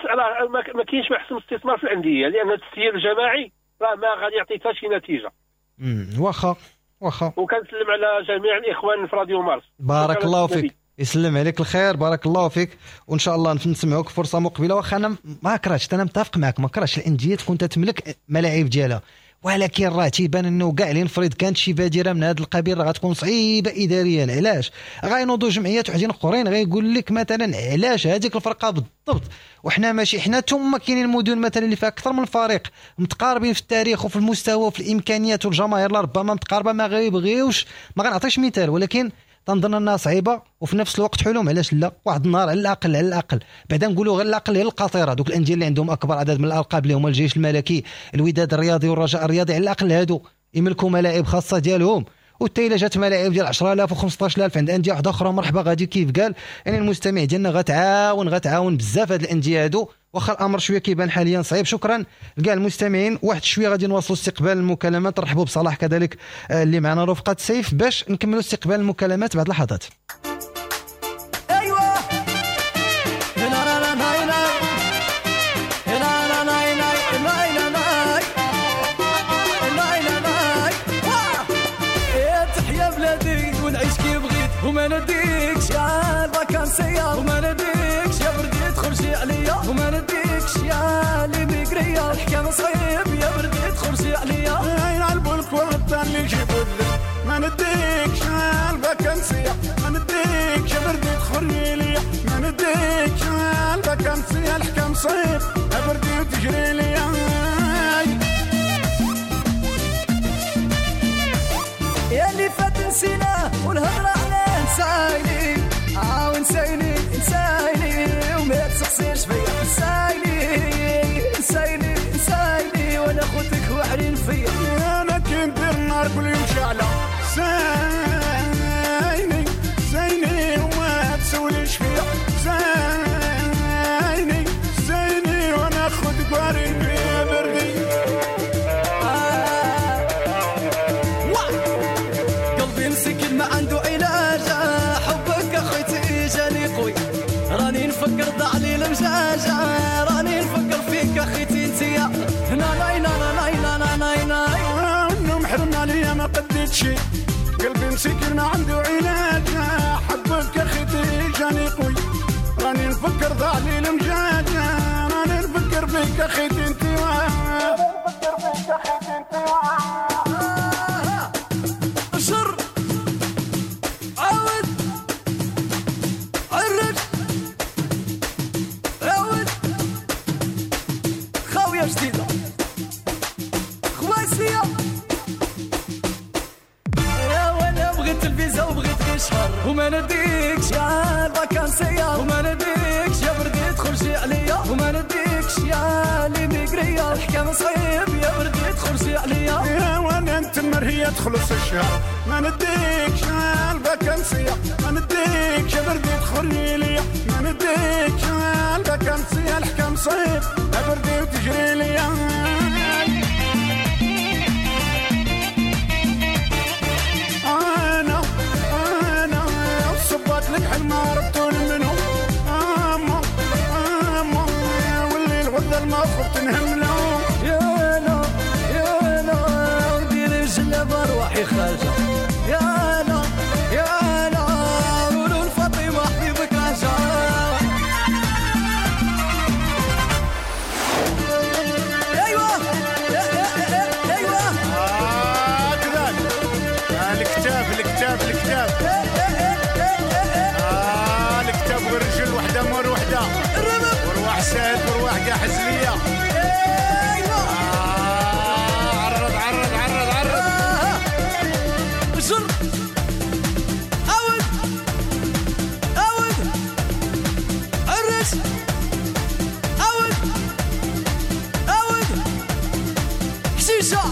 ما كاينش ما احسن استثمار في الاندية، لان التسيير الجماعي راه ما غادي يعطي حتى شي نتيجة. واخا وكنسلم على جميع الاخوان في راديو مارس. بارك الله فيك، يسلم عليك الخير، بارك الله فيك، وان شاء الله نسمعوك فرصة مقبله. واخا انا ما كرهتش، انا متفق معك، ما كرهتش الاندية تكون تتملك ملاعب ديالها، ولكن راه تيبان انه كاع اللي نفرض كانت شي بادره من هذا القبيل راه غتكون صعيبة اداريا. علاش؟ غينوضوا جمعيات وحدين اخرين غيقول لك مثلا علاش هذيك الفرقة بالضبط وحنا ماشي حنا، ثم كاينين المدن مثلا اللي فيها اكثر من فريق متقاربين في التاريخ وفي المستوى وفي الامكانيات والجماهير ربما متقاربة، ما غيبغيوش، ما غنعطيش مثال، ولكن تنظن انها صعيبة وفي نفس الوقت حلم. علاش لا؟ واحد النهار على الاقل، على الاقل بعدا نقولوا غير الاقل هي القاطره، دوك الاندية اللي عندهم اكبر عدد من الالقاب اللي هما الجيش الملكي، الوداد الرياضي والرجاء الرياضي، على الاقل هادو يملكوا ملاعب خاصة ديالهم. وحتى الا جات ملاعب ديال 10000 و15000 عند اندية واحدة اخرى مرحبا، غادي كيف قال يعني المستمع ديالنا غتعاون بزاف هاد الاندية هادو، واخا الامر شوية كيبان حاليا صعيب. شكرا لكاع المستمعين. واحد شوية غادي نواصلوا استقبال المكالمات، نرحبوا بصلاح كذلك اللي معنا رفقه سيف باش نكملوا استقبال المكالمات بعد لحظات. وما نديكش يا الفاكانسية، وما نديكش يا بردي تخرجي عليا، وما نديكش يا لي ميغريا، الحكام صعيب يا بردي تخرجي عليا، يلعبوا الكرة اللي يجيبوا الذل، ما نديكش يا الفاكانسية، ما نديكش يا بردي تخرجي عليا، ما نديكش يا الفاكانسية، الحكام صعيب يا بردي وتجري ليا. يا اللي فات نسينا والهضرة علاه نسايني، نسايني نسايني وما تسقسيش فيا، نسايني نسايني نسايني وانا خوتك وعرين فيا. انا كي ندير النار كل يوم شعلة، سايني سايني وما تسوليش فيا، سايني سايني وانا خوتك وعرين فيا بردي. مسكين ما عنده علاج، حبك اخوتي جاني قوي، راني نفكر ضاع لي المجاجة، راني نفكر فيك اخيتي انتيا، ناي ناي ناي ناي ناي ناي. النوم حرم عليا ما قديت شي، قلبي مسكين ما عنده علاج، حبك اخيتي جاني قوي، راني نفكر ضاع لي المجاجة، راني نفكر فيك اخيتي انتيا، راني نفكر فيك اخيتي انتيا. شر عاود خاوية جديدة خواسية. يا وانا بغيت الفيزا وبغيت غير شهر وما نديكش يا الفاكانسية وما نديكش يا بردي تخرجي عليا وما نديكش يا ليميغرية الحكام صعيب يا بردي تخرجي عليا. يا وانا نتمر هي تخلص الشهر ما نديكش يا الفاكانسية ما نديكش يا بردي تخرجي ليا ما نديكش يا الفاكانسية الحكام صعيب يا بردي وتجري ليا. انا صبات لك حل ما ربطون منو اما اما واللي الغدا الموقف تنهملو. يا لا يا لا ودير الجلابه روحي خارجه يا لا يا لا قولوا لفاطمة حبيبك رجع. ايوه ايوه هكذا الكتاب الكتاب الكتاب الكتاب والرجل وحده مور وحده ورواح ساهل ورواح كاع حزليه. ايوه عرض عرض عرض عرض جر عود عود عرس عود عود حشيشه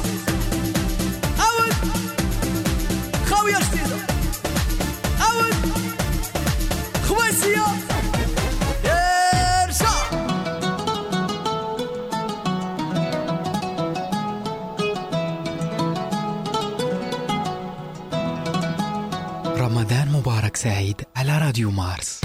عود خاوية جديدة عود خواسيه ارجع. رمضان مبارك سعيد على راديو مارس.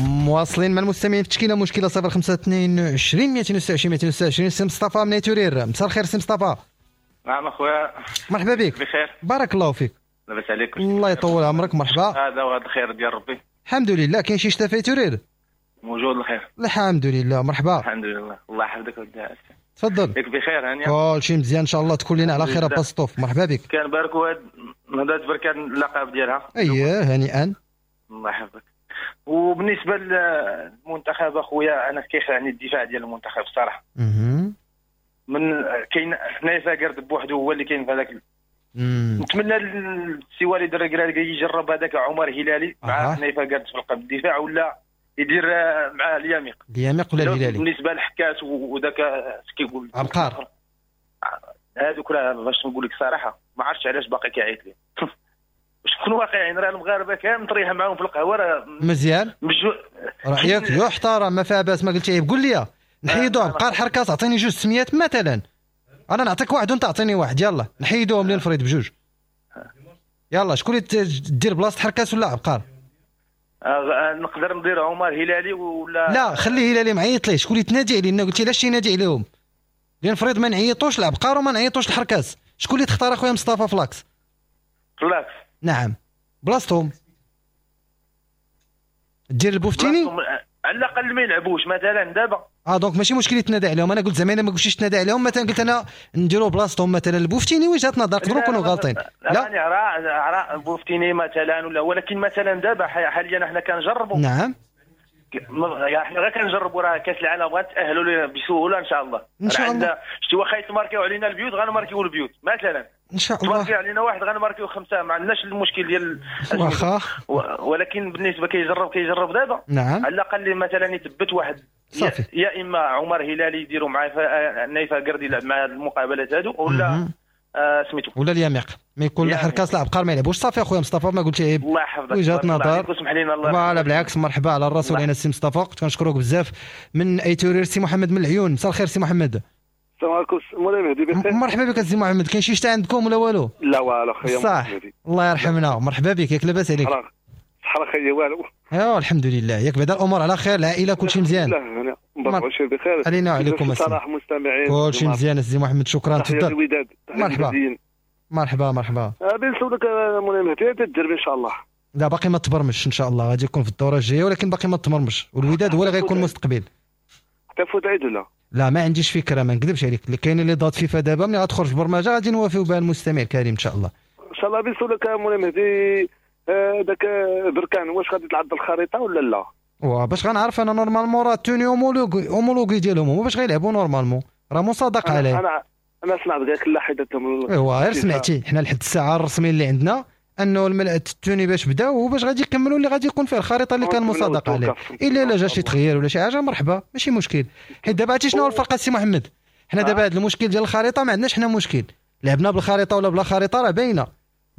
مواصلين مع المستمعين في تشكيله مشكلة 0522 226 226. سي مصطفى من آيت أورير، مساء الخير سي مصطفى. نعم اخويا، مرحبا بك. بخير بارك الله فيك، لاباس عليك؟ الله يطول عمرك. مرحبا. هذا وهذا الخير ديال ربي. الحمد لله. كاين شي شتا في آيت أورير؟ موجود الخير الحمد لله. مرحبا. الحمد لله، الله يحفظك ودي. تفضل. ياك بخير هانيه؟ كلشي مزيان ان شاء الله، تكون لنا على خير باسطوف. مرحبا بك. كنباركوا هاد نهضة بركان اللقب ديالها. اييه هنيئا. الله يحفظك. وبالنسبة للمنتخب اخويا، انا كيخلعني الدفاع ديال المنتخب الصراحة. من كاين حنايا قرد بوحده هو اللي كاين في هذاك. نتمنى السي وليد الركراكي يجرب هذاك عمر هلالي مع حنيفة قرد في القلب الدفاع، ولا يدير مع اليميق. اليميق ولا الهلالي؟ بالنسبة للحكاس وذاك كيقول عبقار، هذوك راه باش نقول لك صراحة ما عرفتش علاش باقي كيعيط لي. باش نكونوا واقعيين راه المغاربة كامل طريحه معاهم في القهوة راه مزيان. رايك يحترم، ما فيها باس. ما قلت عيب، قول لي نحيدوه عبقار حركاس، اعطيني جوج سميات مثلا، انا نعطيك واحد وانت اعطيني واحد. يلا نحيدوهم للفريد بجوج. يلا شكون اللي دير بلاصة حركاس ولا عبقار؟ نقدر ندير عمر هلالي ولا لا؟ خليه هلالي معيط ليه. شكون اللي تنادي علينا؟ قلتي علاش ينادي عليهم؟ لان فريد ما نعيطوش لعبقار وما نعيطوش لحركاس. شكون اللي تختار اخويا مصطفى ف l'axe؟ ف l'axe نعم بلاصتهم دير البوفتيني على الاقل ما يلعبوش مثلا دابا. donc ماشي مشكل يتنادى عليهم. انا قلت زعما انا ما قلتش تنادى عليهم، مثلا قلت انا نديروا بلاصتهم مثلا البوفتيني. وجهه نظر نقدروا نكونوا غالطين. لا يعني راه البوفتيني مثلا ولا، ولكن مثلا دابا حاليا حنا كنجربوا. نعم حنا غير كنجربوا، راه كاس العالم غنتاهلوا بسهولة ان شاء الله. ان شاء الله. شتي واخا يتماركيو علينا البيوت غنماركيو البيوت مثلا ان شاء الله. تماركيو علينا واحد غنماركيو خمسة، ما عندناش المشكل ديال واخا. ولكن بالنسبة كيجرب دابا. نعم على الاقل مثلا يثبت واحد صافي، يا اما عمر هلالي يديروا مع نايفه قردي يلعب مع المقابلات هادو، ولا سميتو ولا اليميق ما يكون لا حركاس لا عبقار ما يلعبوش. صافي اخويا مصطفى ما قلتي عيب. الله يحفظك. وجهه نظر، اسمح لينا. الله voilà بالعكس، مرحبا على الراس والعين السي مصطفى. كنت كنشكرك بزاف. من آيت أورير سي محمد من العيون. مساء الخير سي محمد. السلام عليكم مولاي مهدي، بخير؟ مرحبا بك سي محمد. كاين شي شتا عندكم ولا والو؟ لا والو خويا. صح الله يرحمنا. مرحبا بك، ياك لاباس عليك؟ صحة خير والو. ايوا الحمد لله، ياك بعدا الامور على خير، العائلة كلشي مزيان؟ لا مبروك بخير علينا وعليكم السلام. المستمعين كلشي مزيان سي محمد، شكرا. تفضل. مرحبا مرحبا مرحبا. غادي نسولك مولاي مهدي، تدرب ان شاء الله؟ لا باقي ما تبرمش ان شاء الله، غادي يكون في الدورة الجاية ولكن باقي ما تبرمش، والوداد هو اللي غيكون مستقبل. حتى فوت عيد ولا؟ لا ما عنديش فكرة، ما نكذبش عليك. كاينين les dates FIFA دابا، ملي غتخرج البرمجة غادي نوافيو بها المستمع الكريم ان شاء الله. ان شاء الله. بنسولك مولاي مهدي، داك بركان واش غادي تلعب بالخريطة ولا لا؟ باش غنعرف انا normalement راه tenue homologuée ديالهم هما باش غيلعبوا normalement، راه مصادق عليه. انا سمعت قالك لا حيدتهم. ايوا غير سمعتي، حنا لحد الساعة الرسمية اللي عندنا انه ال tenue باش بداو وباش غادي يكملوا اللي غادي يكون فيه الخريطة اللي كان مصادق عليه. الا جا شي تغيير ولا شي حاجة مرحبا ماشي مشكل. حيت دابا عرفتي شنو هو الفرق السي محمد؟ حنا دابا هذا المشكل ديال الخريطة ما عندناش حنا مشكل، لعبنا بالخريطة ولا بلا خريطة راه باينة.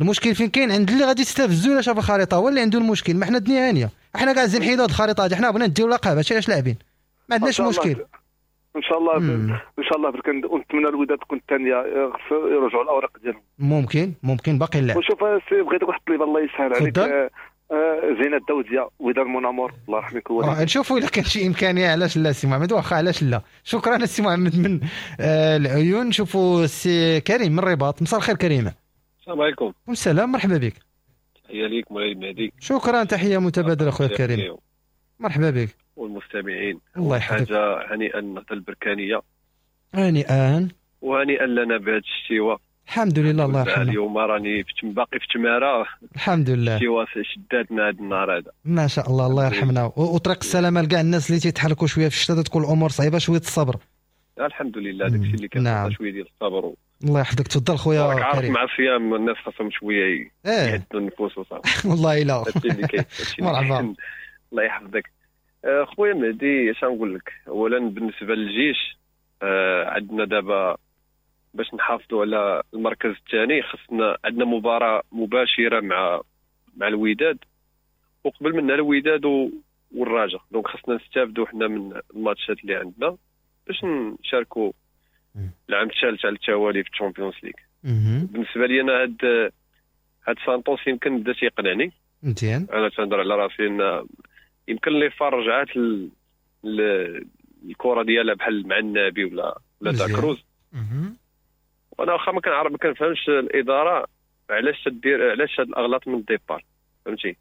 المشكل فين كاين؟ عند اللي غادي يستفزو الا شاف الخريطة هو اللي عنده المشكل. ما حنا الدنيا هانيه، حنا كاع عايزين نحيدوا هذه الخريطة هذه، حنا بغينا نديو لقب، هادشي علاش لاعبين، ما عندناش مشكل. ان شاء الله ان شاء الله برك ونتمنى الوداد تكون الثانية، يرجعوا الاوراق ديالهم. ممكن باقي اللعب. وشوف سي بغيتك واحد الطليبه الله يسهل عليك، زينة الدوديه وداد منامور الله يرحمك الوالدين. نشوفوا الا كان شي امكانية، علاش لا سي محمد، واخا علاش لا. شكرا السي محمد من العيون. نشوفوا السي كريم من الرباط. مساء الخير كريمة. السلام عليكم. السلام، مرحبا بك. تحية ليك مولاي المهدي. شكرا، تحية متبادلة خويا كريم، مرحبا بك. والمستمعين الله يحفظك. حاجة هنيئا النهضة البركانيه، هنيئا وهنيئا لنا بهذا الشتيوه، الحمد لله الله يرحمه. اليوم راني باقي في تماره، الحمد لله. الشتيوه شداتنا هذا النهار هذا، ما شاء الله الله يرحمنا. وطريق السلامة لكاع الناس اللي تيتحركوا شوية في الشتاء، تكون الامور صعيبة شوية الصبر. الحمد لله داكشي اللي كان. نعم. شوية ديال الصبر. الله يحفظك. تفضل خويا كريم. مع الصيام الناس خاصهم شوية يهدوا النفوس وصافي. والله الا مرحبا. الله يحفظك خويا مهدي. اش نقول لك، اولا بالنسبة للجيش عندنا دابا باش نحافظوا على المركز الثاني خصنا عندنا مباراة مباشرة مع الوداد، وقبل منها الوداد والرجاء، donc خصنا نستافدوا حنا من الماتشات اللي عندنا باش نشاركوا العام الثالث على التوالي في ال Champions League. بالنسبة لي انا هاد سانتوس يمكن بدا تيقنعني مزيان. انا تنهضر على راسي ان يمكن les FAR رجعات الكره ديالها بحال مع النبي ولا داكروز. وانا واخا ما كنعرف ما كنفهمش الادارة علاش تدير، علاش هاد الاغلاط من ال départ، فهمتي؟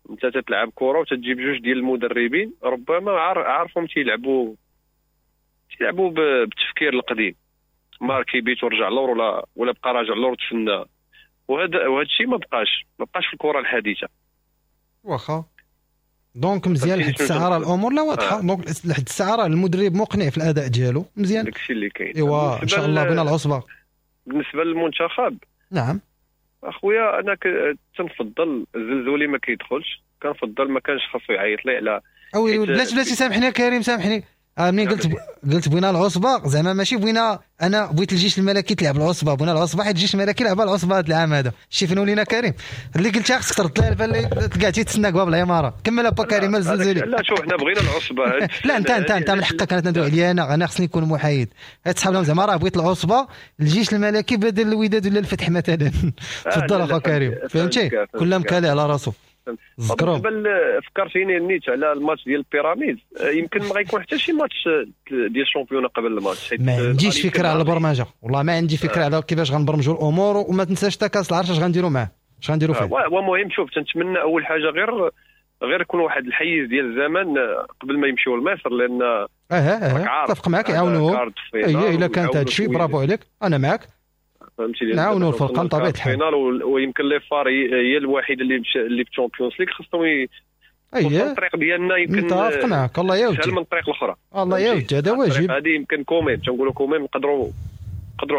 انت تتلعب كره وتتجيب جوج ديال المدربين ربما عارفهم تيلعبوا بالتفكير القديم، marquer but ورجع لور ولا بقى راجع لور تسنى، وهذا الشيء ما بقاش في الكره الحديثة. واخا donc مزيان لحد الساعة راه الامور لا واضحة. donc لحد الساعة راه المدرب مقنع في الاداء ديالو مزيان، داكشي اللي كاين. ايوا ان شاء الله بنا العصبة. بالنسبة للمنتخب، نعم اخويا انا تنفضل الزلزولي ما كيدخلش، كنفضل ما كانش خاصو يعيط لي على او بلاش بلاتي. سامحني يا كريم سامحني، منين قلت بغينا العصبة زعما ماشي بغينا، انا بغيت الجيش الملكي تلعب العصبة، بغينا العصبة حيت الجيش الملكي لعب العصبة هذا العام هذا. شي فين ولينا كريم اللي قلتها خصك ترد لها البال اللي كاع تيتسناك باب العمارة. كمل با كريم الزلزولي. لا شوف حنا بغينا العصبة. لا انت من حقك، انا تندوي عليا، انا خصني نكون محايد. تصحاب لهم زعما راه بغيت العصبة الجيش الملكي بدل الوداد ولا الفتح مثلا. تفضل اخو كريم، فهمتي؟ كل مكالي على راسو. بالنسبة فكرتيني نيت على الماتش ديال البيراميد، يمكن ما غيكون حتى شي ماتش ديال ال championnat قبل الماتش. ما عنديش فكرة على البرمجة والله، ما عندي فكرة على كيفاش غنبرمجوا الامور، وما تنساش حتى كاس العرش اش غنديروا معاه، اش غنديروا فيه. ومهم شوف تنتمنى اول حاجة غير يكون واحد الحيز ديال الزمن قبل ما يمشيو لمصر، لان اتفق معاك يعاونوهم. اي الا كانت هذا الشيء برافو عليك، انا معاك. فهمتي؟ نعاونوا الفرقة بطبيعة الحال. ويمكن les FAR هي الوحيدة اللي في ال Champions League خصهم الطريق ديالنا يمكن. متفق معاك الله يودي، من الطريق الاخرى الله يودي، هذا واجب. هذه يمكن quand même تنقولوا quand même نقدروا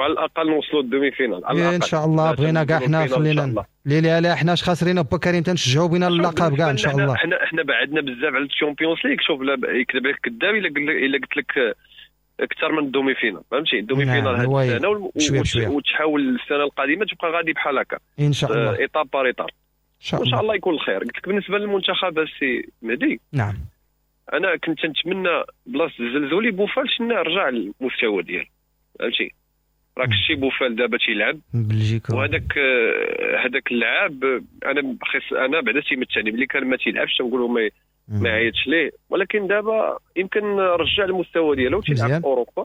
على الاقل نوصلوا ال demi-finale على الاقل ان شاء الله. بغينا كاع حنا خلينا لا حنا اش خاسرين با كريم، تنشجعوا بينا اللقب كاع ان شاء الله. حنا بعدنا بزاف على ال Champions League. شوف لا يكذب عليك كذاب الا قلت لك اكثر من ال demi-finale، فهمتي؟ ال demi-finale هذه السنة وتحاول السنة القادمة تبقى غادي بحال هكا ان شاء الله، étape par étape وان شاء الله يكون الخير. قلت لك بالنسبة للمنتخب السي مهدي، نعم انا كنت نتمنى بلاصة الزلزولي بوفال شنا رجع للمستوى ديالو، فهمتي؟ راك شتي بوفال دابا تيلعب بلجيكا، وهذاك هذاك اللاعب انا بعدا تيمتعني ملي كان ما تيلعبش تنقولوا ما عيطش ليه، ولكن دابا يمكن رجع المستوى ديالو تيلعب في اوروبا.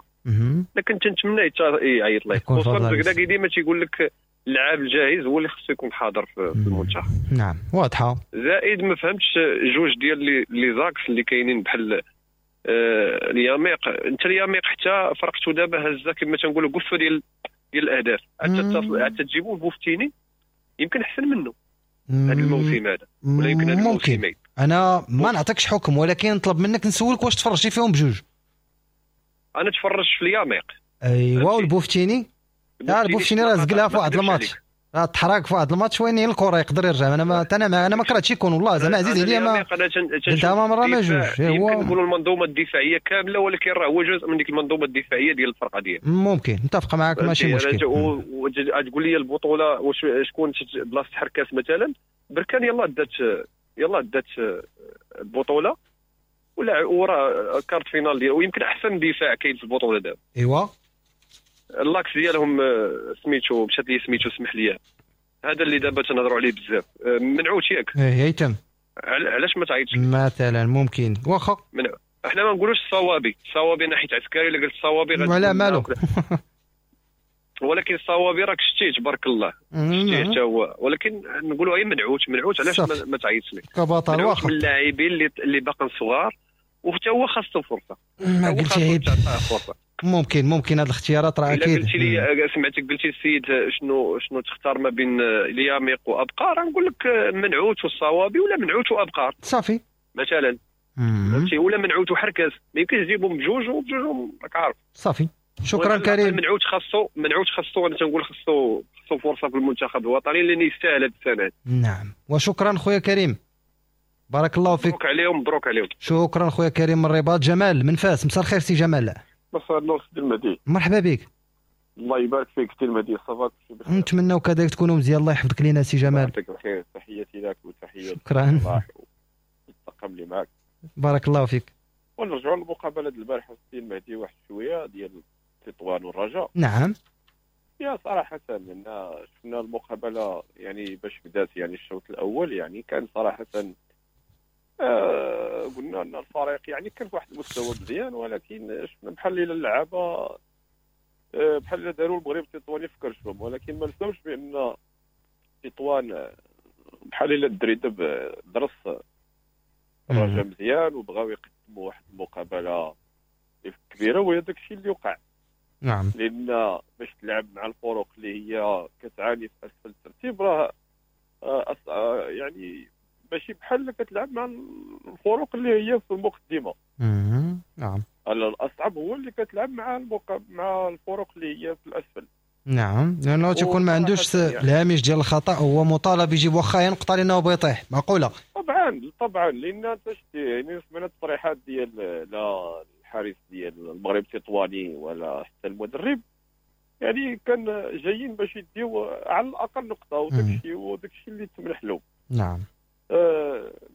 لكن تنتمنى يعيط ليه، خصوصا الركراكي ديما تيقول لك اللاعب الجاهز هو اللي خصو يكون حاضر في المنتخب. نعم واضحة. زائد ما فهمتش جوج ديال les axes اللي كاينين بحال الياميق، انت الياميق حتى فرقته دابا هزه كما تنقولوا قفة ديال الاهداف، حتى تجيبوه بوفتيني يمكن احسن منه هذا الموسم هذا، ولا يمكن هذا الموسمين. انا ما نعطيكش حكم، ولكن نطلب منك نسولك واش تفرجتي فيهم بجوج. انا تفرجت في الياميق. ايوا والبوفتيني، لا البوفتيني راه زقلها في واحد الماتش، راه تحرك في واحد الماتش وين الكره يقدر يرجع. انا ما انا ما كرهتش يكون والله زعما عزيز عليا، ما قلتها ما مرة ما جوج. هو يمكن نقولوا المنظومة الدفاعية كاملة، ولكن راه هو جزء من ديك المنظومة الدفاعية ديال الفرقة ديالو. ممكن نتفق معاك ماشي مشكل. تقول لي البطولة واش شكون بلاصة حركاس مثلا، بركان يلاه دات البطولة ولا وراه quart de finale ديالو، ويمكن احسن دفاع كاين في البطولة دابا. ايوا l'axe ديالهم سميتو مشات لي سميتو سمح لي، هذا اللي دابا تنهضروا عليه بزاف، منعوت ياك؟ ايه هيثم، علاش ما تعيطش مثلا؟ ممكن واخا احنا ما نقولوش الصوابي، الصوابي ناحية عسكري، الا قلت الصوابي ولا مالو ولكن الصوابي راك شتيه تبارك الله، شتيه حتى هو، ولكن نقولوا غير منعوت علاش ما تعيطش لك كبطل؟ واخا من اللاعبين اللي باقين صغار، وحتى هو خاصو فرصة. ما قلتي عيب، ممكن هاد الاختيارات راه اكيد. قلتي لي سمعتك قلتي السيد شنو تختار ما بين الياميق وابقار، نقول لك منعوت والصوابي ولا منعوت وابقار صافي مثلا، فهمتي، ولا منعوت وحركاس، ما يمكنش تجيبهم بجوج وبجوج راك عارف. صافي شكرا كريم. منعوت خاصو انا تنقول خاصو فرصة في المنتخب الوطني لان يستاهل هاد السنة. نعم وشكرا خويا كريم، بارك الله فيك. مبروك عليهم. شكرا خويا كريم من الرباط. جمال من فاس، مساء الخير سي جمال. مساء النور سي المهدي. مرحبا بك. الله يبارك فيك سي المهدي، ça va كلشي بخير؟ نتمناو كذلك تكونوا مزيان، الله يحفظك لينا سي جمال. يعطيك الخير، تحياتي لك وتحية شكرا الطاقم اللي معك، بارك الله فيك. ونرجعوا للمقابله ديال البارح سي المهدي، واحد شوية ديال تطوان والرجاء. نعم يا صراحة ان شفنا المقابلة يعني باش بدات، يعني الشوط الاول يعني كان صراحة قلنا ان الفريق يعني كان في واحد المستوى مزيان، ولكن شفنا بحال الا اللعابه بحال الا داروا المغرب التطواني في كرشهم، ولكن ما نساوش بان تطوان بحال الا الدري درس الرجاء مزيان وبغاو يقدموا واحد المقابلة كبيرة، وهي داك الشيء اللي وقع. نعم، لان باش تلعب مع الفرق اللي هي كتعاني في اسفل الترتيب راه يعني ماشي بحال كتلعب مع الفرق اللي هي في المقدمة. نعم، الاصعب هو اللي كتلعب مع الفرق اللي هي في الاسفل. نعم، لانه تيكون ما عندوش الهامش ديال الخطا، هو مطالب يجيب واخا نقطة لانه بيطيح. معقولة؟ طبعا لان انت شتي يعني سمعنا التصريحات ديال لا الحارس ديال المغرب التطواني ولا حتى المدرب، يعني كان جايين باش يديو على الاقل نقطة، وداك الشيء اللي تمنح له. نعم،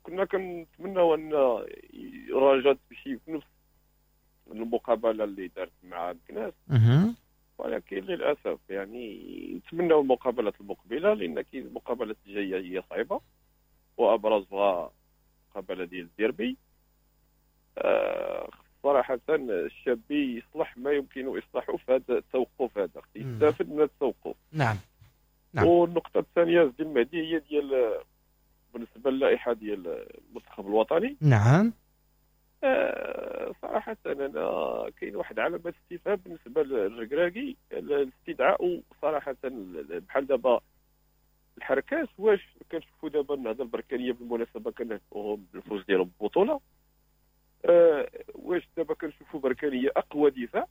كنا كنتمناو ان الرجاء تمشي في نفس المقابلة اللي دارت مع مكناس، ولكن للاسف يعني نتمناو المقابلات المقبلة، لان كاين المقابلات الجاية هي صعيبة، وابرزها المقابلة ديال الديربي. صراحة الشابي يصلح ما يمكن اصلاحه في هذا التوقف هذا، يستافد من التوقف. نعم. والنقطة الثانية سيدي المهدي هي ديال بالنسبة للائحه ديال المنتخب الوطني. نعم، صراحة انا كاين واحد علامة استفهام بالنسبة للركراكي، الاستدعاء صراحة بحال دابا الحركاس، واش كنشوفوا دابا النهضة البركانيه بالمناسبة كنهنئوهم بالفوز ديالهم بالبطولة، واش دابا كنشوفوا بركانيه اقوى دفاع،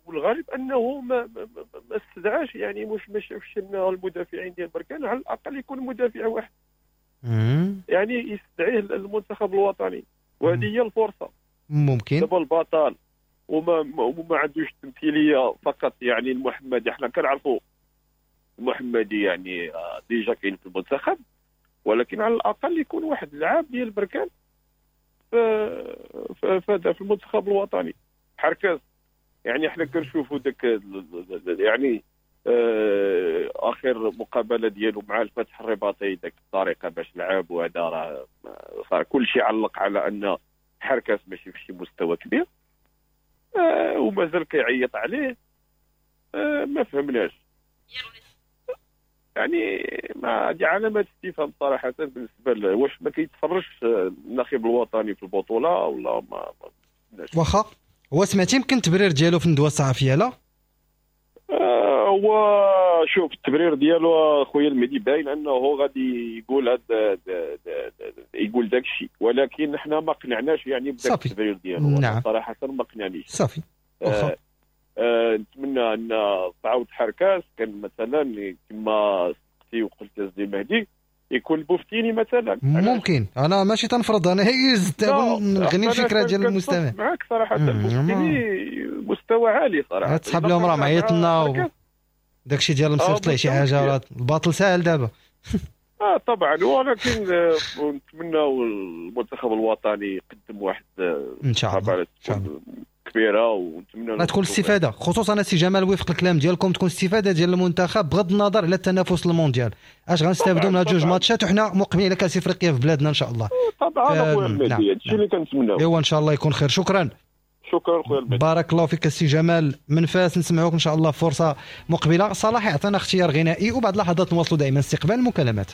والغريب انه ما استدعاش، يعني مش ما شافش ان المدافعين ديال بركان على الاقل يكون مدافع واحد يعني يستدعيه المنتخب الوطني، وهذه هي الفرصة. ممكن دابا البطل وما عندوش تمثيلية فقط، يعني المحمدي حنا كنعرفوا المحمدي يعني déjà كاين في المنتخب، ولكن على الاقل يكون واحد اللاعب ديال بركان في المنتخب الوطني. حركاس يعني حنا كنشوفوا داك يعني اخر مقابله ديالو مع الفتح الرباطي، داك الطريقة باش لعب، وهذا راه صار كلشي علق على ان حركاس ماشي في شي مستوى كبير، ومازال كيعيط عليه، ما فهمناش. يعني ما هذه علامات استفهام صراحة بالنسبة واش ما كيتفرجش الناخب الوطني في البطولة ولا ما واخا هو سمعتي يمكن التبرير ديالو في الندوة الصحفية؟ لا هو شوف التبرير ديالو خويا المهدي باين انه غادي يقول هذا يقول داك الشيء، ولكن حنا ما قنعناش يعني بداك التبرير ديالو. نعم. صراحة ما قنعنيش. صافي. نتمنى ان تعاود حركاس كان مثلا كما سبقتي وقلت السي المهدي يكون البوفتيني مثلا. ممكن انا ماشي تنفرض، انا هي نغني الفكرة ديال المستمع معاك صراحة. البوفتيني مستوى عالي صراحة، تسحب لهم راه معيطنا داكشي ديال مصيفط ليه شي حاجة، الباطل ساهل دابا. طبعا، ولكن نتمنى المنتخب الوطني يقدم واحد ان شاء الله كبيرة، ونتمنى تكون الاستفادة، خصوصا سي جمال وفق الكلام ديالكم تكون استفاده ديال المنتخب بغض النظر على التنافس المونديال. اش غنستافدوا من هاد جوج ماتشات وحنا مقبلين على كاس افريقيا في بلادنا ان شاء الله. طبعا اخويا المهدي، هادشي اللي كنتمناو. ايوا ان شاء الله يكون خير. شكرا. شكرا خويا المهدي، بارك الله فيك السي جمال من فاس. نسمعوك ان شاء الله فرصة مقبله. صلاح يعطينا اختيار غنائي وبعد لحظات نواصلوا دائما استقبال المكالمات.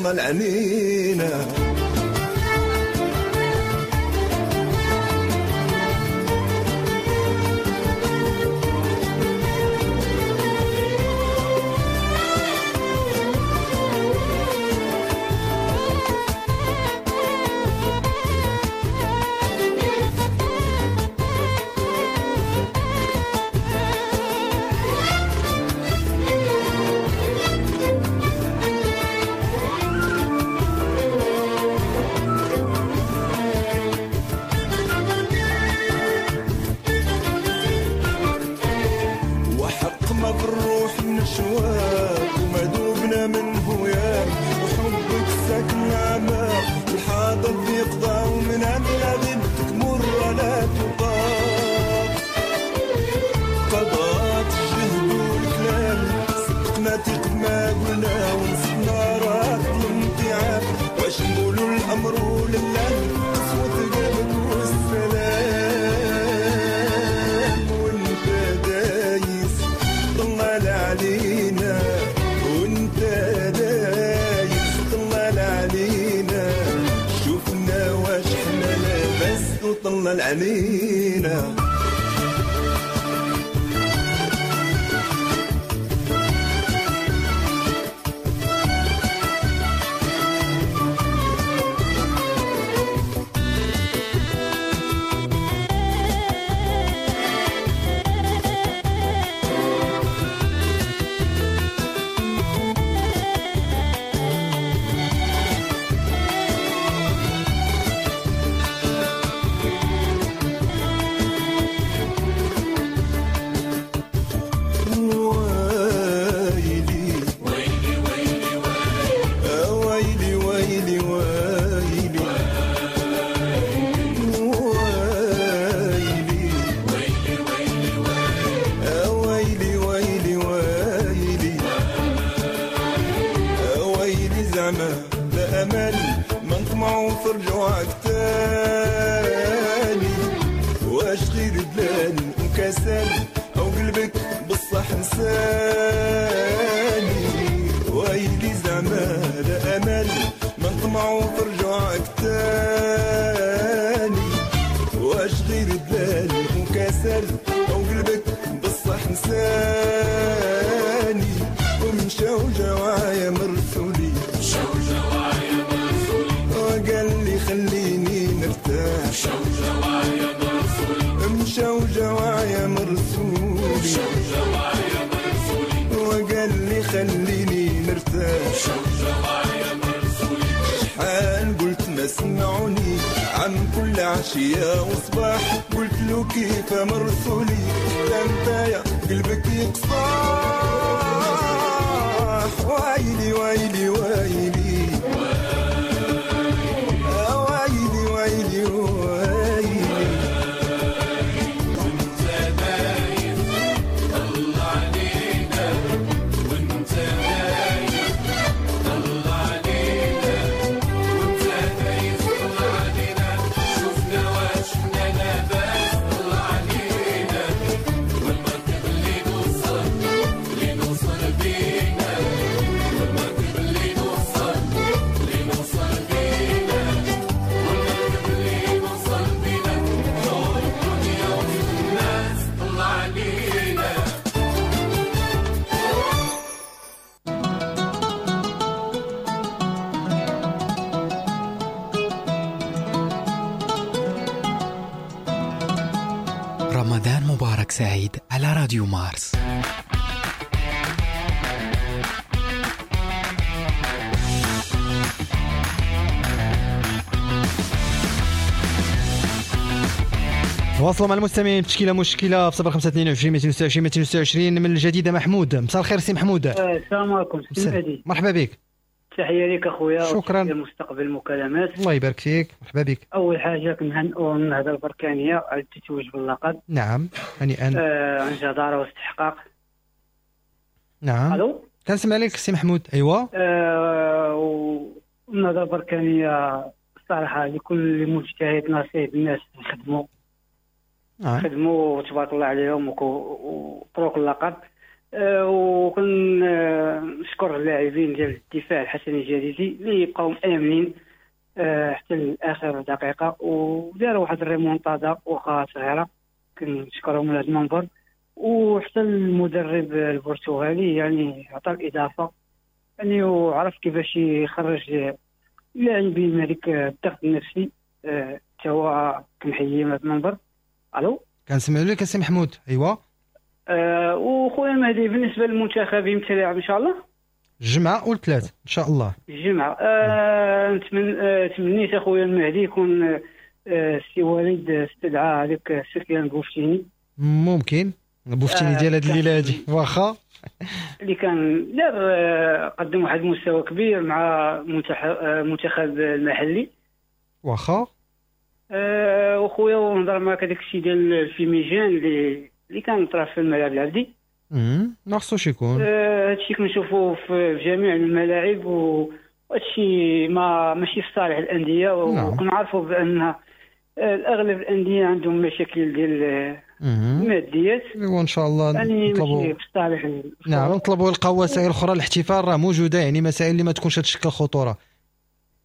طلع علينا. ولا قسوة قلبك والسلام. وانت دايس طلال علينا، وانت دايس طلال علينا، شوفنا واش حنا لاباس وطلال علينا. رمضان مبارك سعيد على راديو مارس. تواصلوا مع المستمعين بتشكيله مشكلة في 0522 226 226 من الجديدة. محمود، مساء الخير سي محمود. السلام عليكم سي مهدي، مرحبا بك. تحية لك اخويا، شكرا. مستقبل المكالمات، الله يبارك فيك، مرحبا بك. اول حاجة كنهنئوا النهضة البركانيه على التتويج باللقب. نعم، هنيئا. عن جداره واستحقاق. نعم. الو، كنسمع لك سي محمود. ايوا. والنهضه البركانيه الصراحة لكل مجتهد نصيب، الناس خدموا. نعم. خدموا تبارك الله عليهم وطرق اللقب. وكنشكر اللاعبين ديال الدفاع الحسني الجديدي اللي بقاو مآمنين حتى لاخر دقيقة وداروا واحد الريمونتادا واخا صغيرة، كنشكرهم من هذا المنبر. وحتى المدرب البرتغالي يعني عطى الاضافة، يعني وعرف كيفاش يخرج اللاعبين من هذيك الضغط النفسي. حتى هو كنحييه من هذا المنبر. الو، كنسمع لك سي محمود. ايوا. وخويا مهدي، بالنسبة للمنتخب امتى لاعب ان شاء الله؟ الجمعة والثلاث ان شاء الله. الجمعة. تمنيت اخويا المهدي يكون السي وليد استدعى هذاك سفيان بوفتيني. ممكن بوفتيني ديال هذه الليلة هذه، واخا اللي كان دار قدم واحد المستوى كبير مع المنتخب المحلي. واخا. وخويا ونهضر معاك هذاك الشيء ديال ال fumigène اللي كان طرف في الملعب العبدي. ما خصوش يكون هادشي كنشوفوه في جميع الملاعب، وهادشي ما ماشي في صالح الاندية. وكنعرفوا بان اغلب الاندية عندهم مشاكل ديال الماديات. وان شاء الله يعني نطلبوا في صالح. نعم نطلبوا يلقاو وسائل اخرى للاحتفال، راه موجودة يعني مسائل اللي ما تكونش تشكل خطورة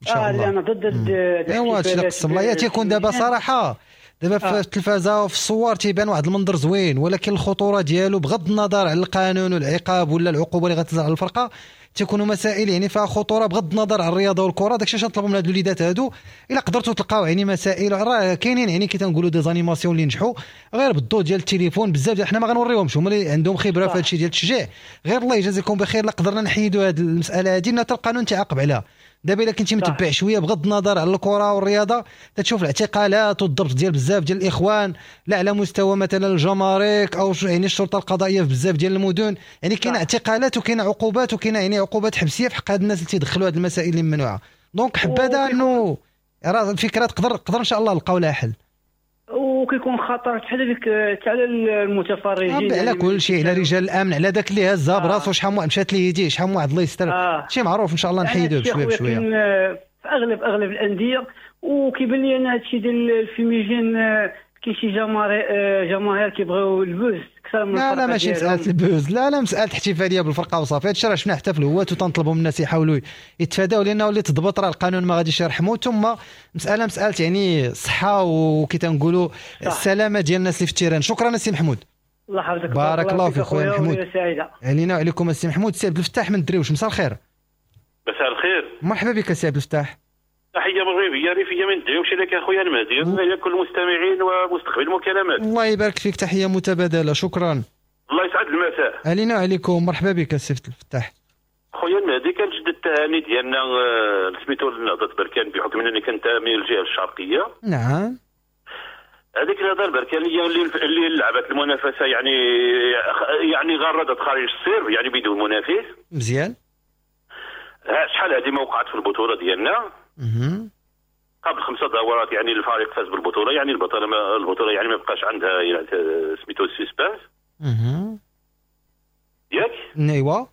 ان شاء الله. انا ضد ايوا هادشي اللي قسم الله تيكون دابا صراحة دابا في التلفازه وفي الصور تيبان واحد المنظر زوين، ولكن الخطورة ديالو بغض النظر على القانون والعقاب ولا العقوبة اللي غتنزل على الفرقة تيكونوا مسائل يعني فيها خطورة بغض النظر على الرياضة والكره. داكشي علاش نطلبوا من هاد الوليدات هادو الا قدرتوا تلقاو يعني مسائل راه كاينين يعني كي تنقولوا des animations اللي نجحوا غير بالضوء ديال التليفون بزاف، حنا ما غنوريهمش، هما اللي عندهم خبره في هادشي ديال التشجيع. غير الله يجازيكم بخير لا قدرنا نحيدوا هاد المسالة هادي حتى القانون تعاقب عليها. دابا الا كنتي متبع شوية بغض النظر على الكره والرياضة تتشوف الاعتقالات والضبط ديال بزاف ديال الاخوان، لا على مستوى مثلا الجمارك او يعني الشرطة القضائية في بزاف ديال المدن، يعني كاين اعتقالات وكاين عقوبات وكاين يعني عقوبات حبسيه في حق هاد الناس اللي تيدخلوا هاد المسائل اللي ممنوعة. donc حبذا انه راه الفكرة تقدر ان شاء الله نلقاو لها حل. وكيكون خطر حتى على المتفرجين، على كل شيء، على رجال الامن، على داك اللي هزها براسو شحال من مشات ليه يديه، شحال من واحد الله يستر. شي معروف ان شاء الله نحيدوه بشوية بشوية في اغلب الاندية. وكيبان لي انا هادشي ديال ال fumigène كاين شي جماهير كيبغيو ال buzz اكثر من لا ماشي مسالة ال buzz، لا مسالة احتفالية بالفرقة وصافي. هادشي راه شفناه حتى في الهوات وتنطلبوا من الناس يحاولوا يتفاداو، لانه اللي تضبط راه القانون ما غاديش يرحمو. ثم مسالة يعني الصحة وكي تنقولوا السلامة ديال الناس اللي في ال terrain. شكرا السي محمود، الله يحفظك، بارك الله فيك خويا محمود. علينا وعليكم السي محمود. سي عبد الفتاح من الدريوش، مساء الخير. مساء الخير، مرحبا بك سي عبد الفتاح. تحية مغربية ريفيه من الدريوش لك اخويا المهدي والى كل المستمعين ومستقبل المكالمات. الله يبارك فيك، تحية متبادلة، شكرا. الله يسعد المساء. علينا وعليكم، مرحبا بك السي الفتاح. خويا المهدي، كنجدد التهاني ديالنا سميتو لنهضه بركان بحكم انني كنتمي للجهة الشرقية. نعم. هذيك النهضة البركانيه اللي لعبت المنافسة يعني غردت خارج السير يعني بدون منافس. مزيان. شحال هذه ما وقعت في البطولة ديالنا. قبل 5 دورات يعني الفريق فاز بالبطولة، يعني البطولة يعني ما بقاش عندها يعني سميتو ال suspense. ياك؟ ايوا.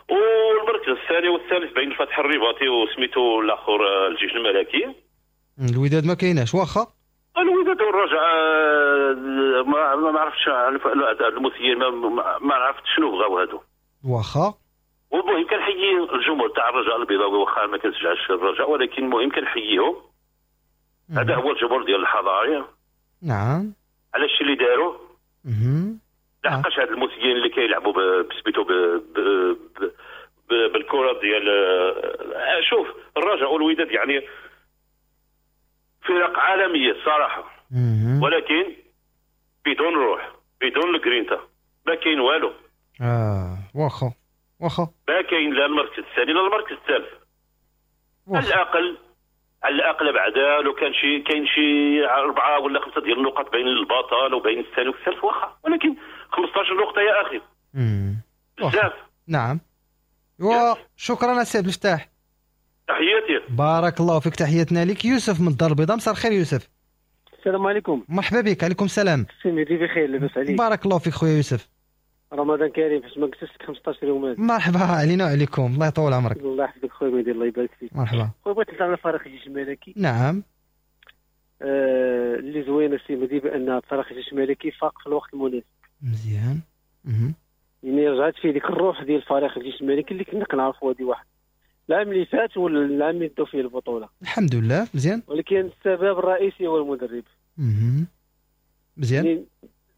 والمركز الثاني والثالث بين الفتح الرباطي وسميتو الاخر الجيش الملكي. الوداد ما كايناش واخا؟ الوداد والرجاء ما عرفتش المسير ما عرفت شنو بغاو هادو. واخا. والمهم كنحيي الجمهور تاع الرجاء البيضاوي واخا ما كنشجعش الرجاء، ولكن المهم كنحييهم. هذا هو الجمهور ديال الحضارية. نعم. على الشيء اللي داروا. لحقاش هاد المسيين اللي كيلعبوا بسميتو بالكرة ديال شوف الرجاء والوداد يعني فرق عالمية الصراحة، ولكن بدون روح، بدون الجرينتا، ما كاين والو. واخا واخا. ما كاين لا المركز الثاني لا المركز الثالث. على الاقل بعدا لو كان شي كاين شي 4 ولا 5 ديال النقط بين البطل وبين الثاني والثالث واخا، ولكن 15 نقطة يا اخي بزاف. نعم. وشكرا سي عبد الفتاح، تحياتي. بارك الله فيك، تحياتنا لك. يوسف من الدار البيضاء، مساء الخير يوسف. السلام عليكم. مرحبا بك. عليكم السلام. سي مهدي بخير، لاباس عليك؟ بارك الله فيك خويا يوسف. رمضان كريم، حيت ما قلتش لك 15 يوم هذا. مرحبا، علينا وعليكم، الله يطول عمرك. الله يحفظك خويا مهدي، الله يبارك فيك. مرحبا خويا، بغيت نهضر على فريق الجيش الملكي. نعم. اللي زوينة سي مهدي بان فريق الجيش الملكي فاق في الوقت المناسب. مزيان. يعني رجعت فيه ديك الروح ديال فريق الجيش الملكي اللي كنا كنعرفوا هذه واحد العام اللي فات ولا العام اللي داو فيه البطولة. الحمد لله مزيان. ولكن السبب الرئيسي هو المدرب. مزيان. يعني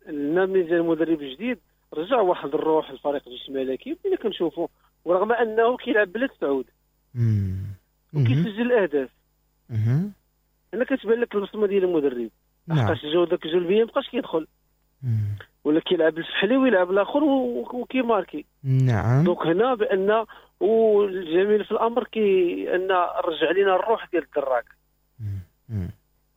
ملي جا المدرب الجديد رجع واحد الروح للفريق الجيش الملكي بدينا كنشوفوا، ورغم انه كيلعب بلا سعود وكيسجل الاهداف. هنا كتبان لك البصمة ديال المدرب. لحقاش جو داك الجلبيه مابقاش كيدخل، ولا كيلعب الفحلي ويلعب الاخر وكيماركي. نعم. donc هنا بان والجميل في الامر كي ان رجع لنا الروح ديال الدراك.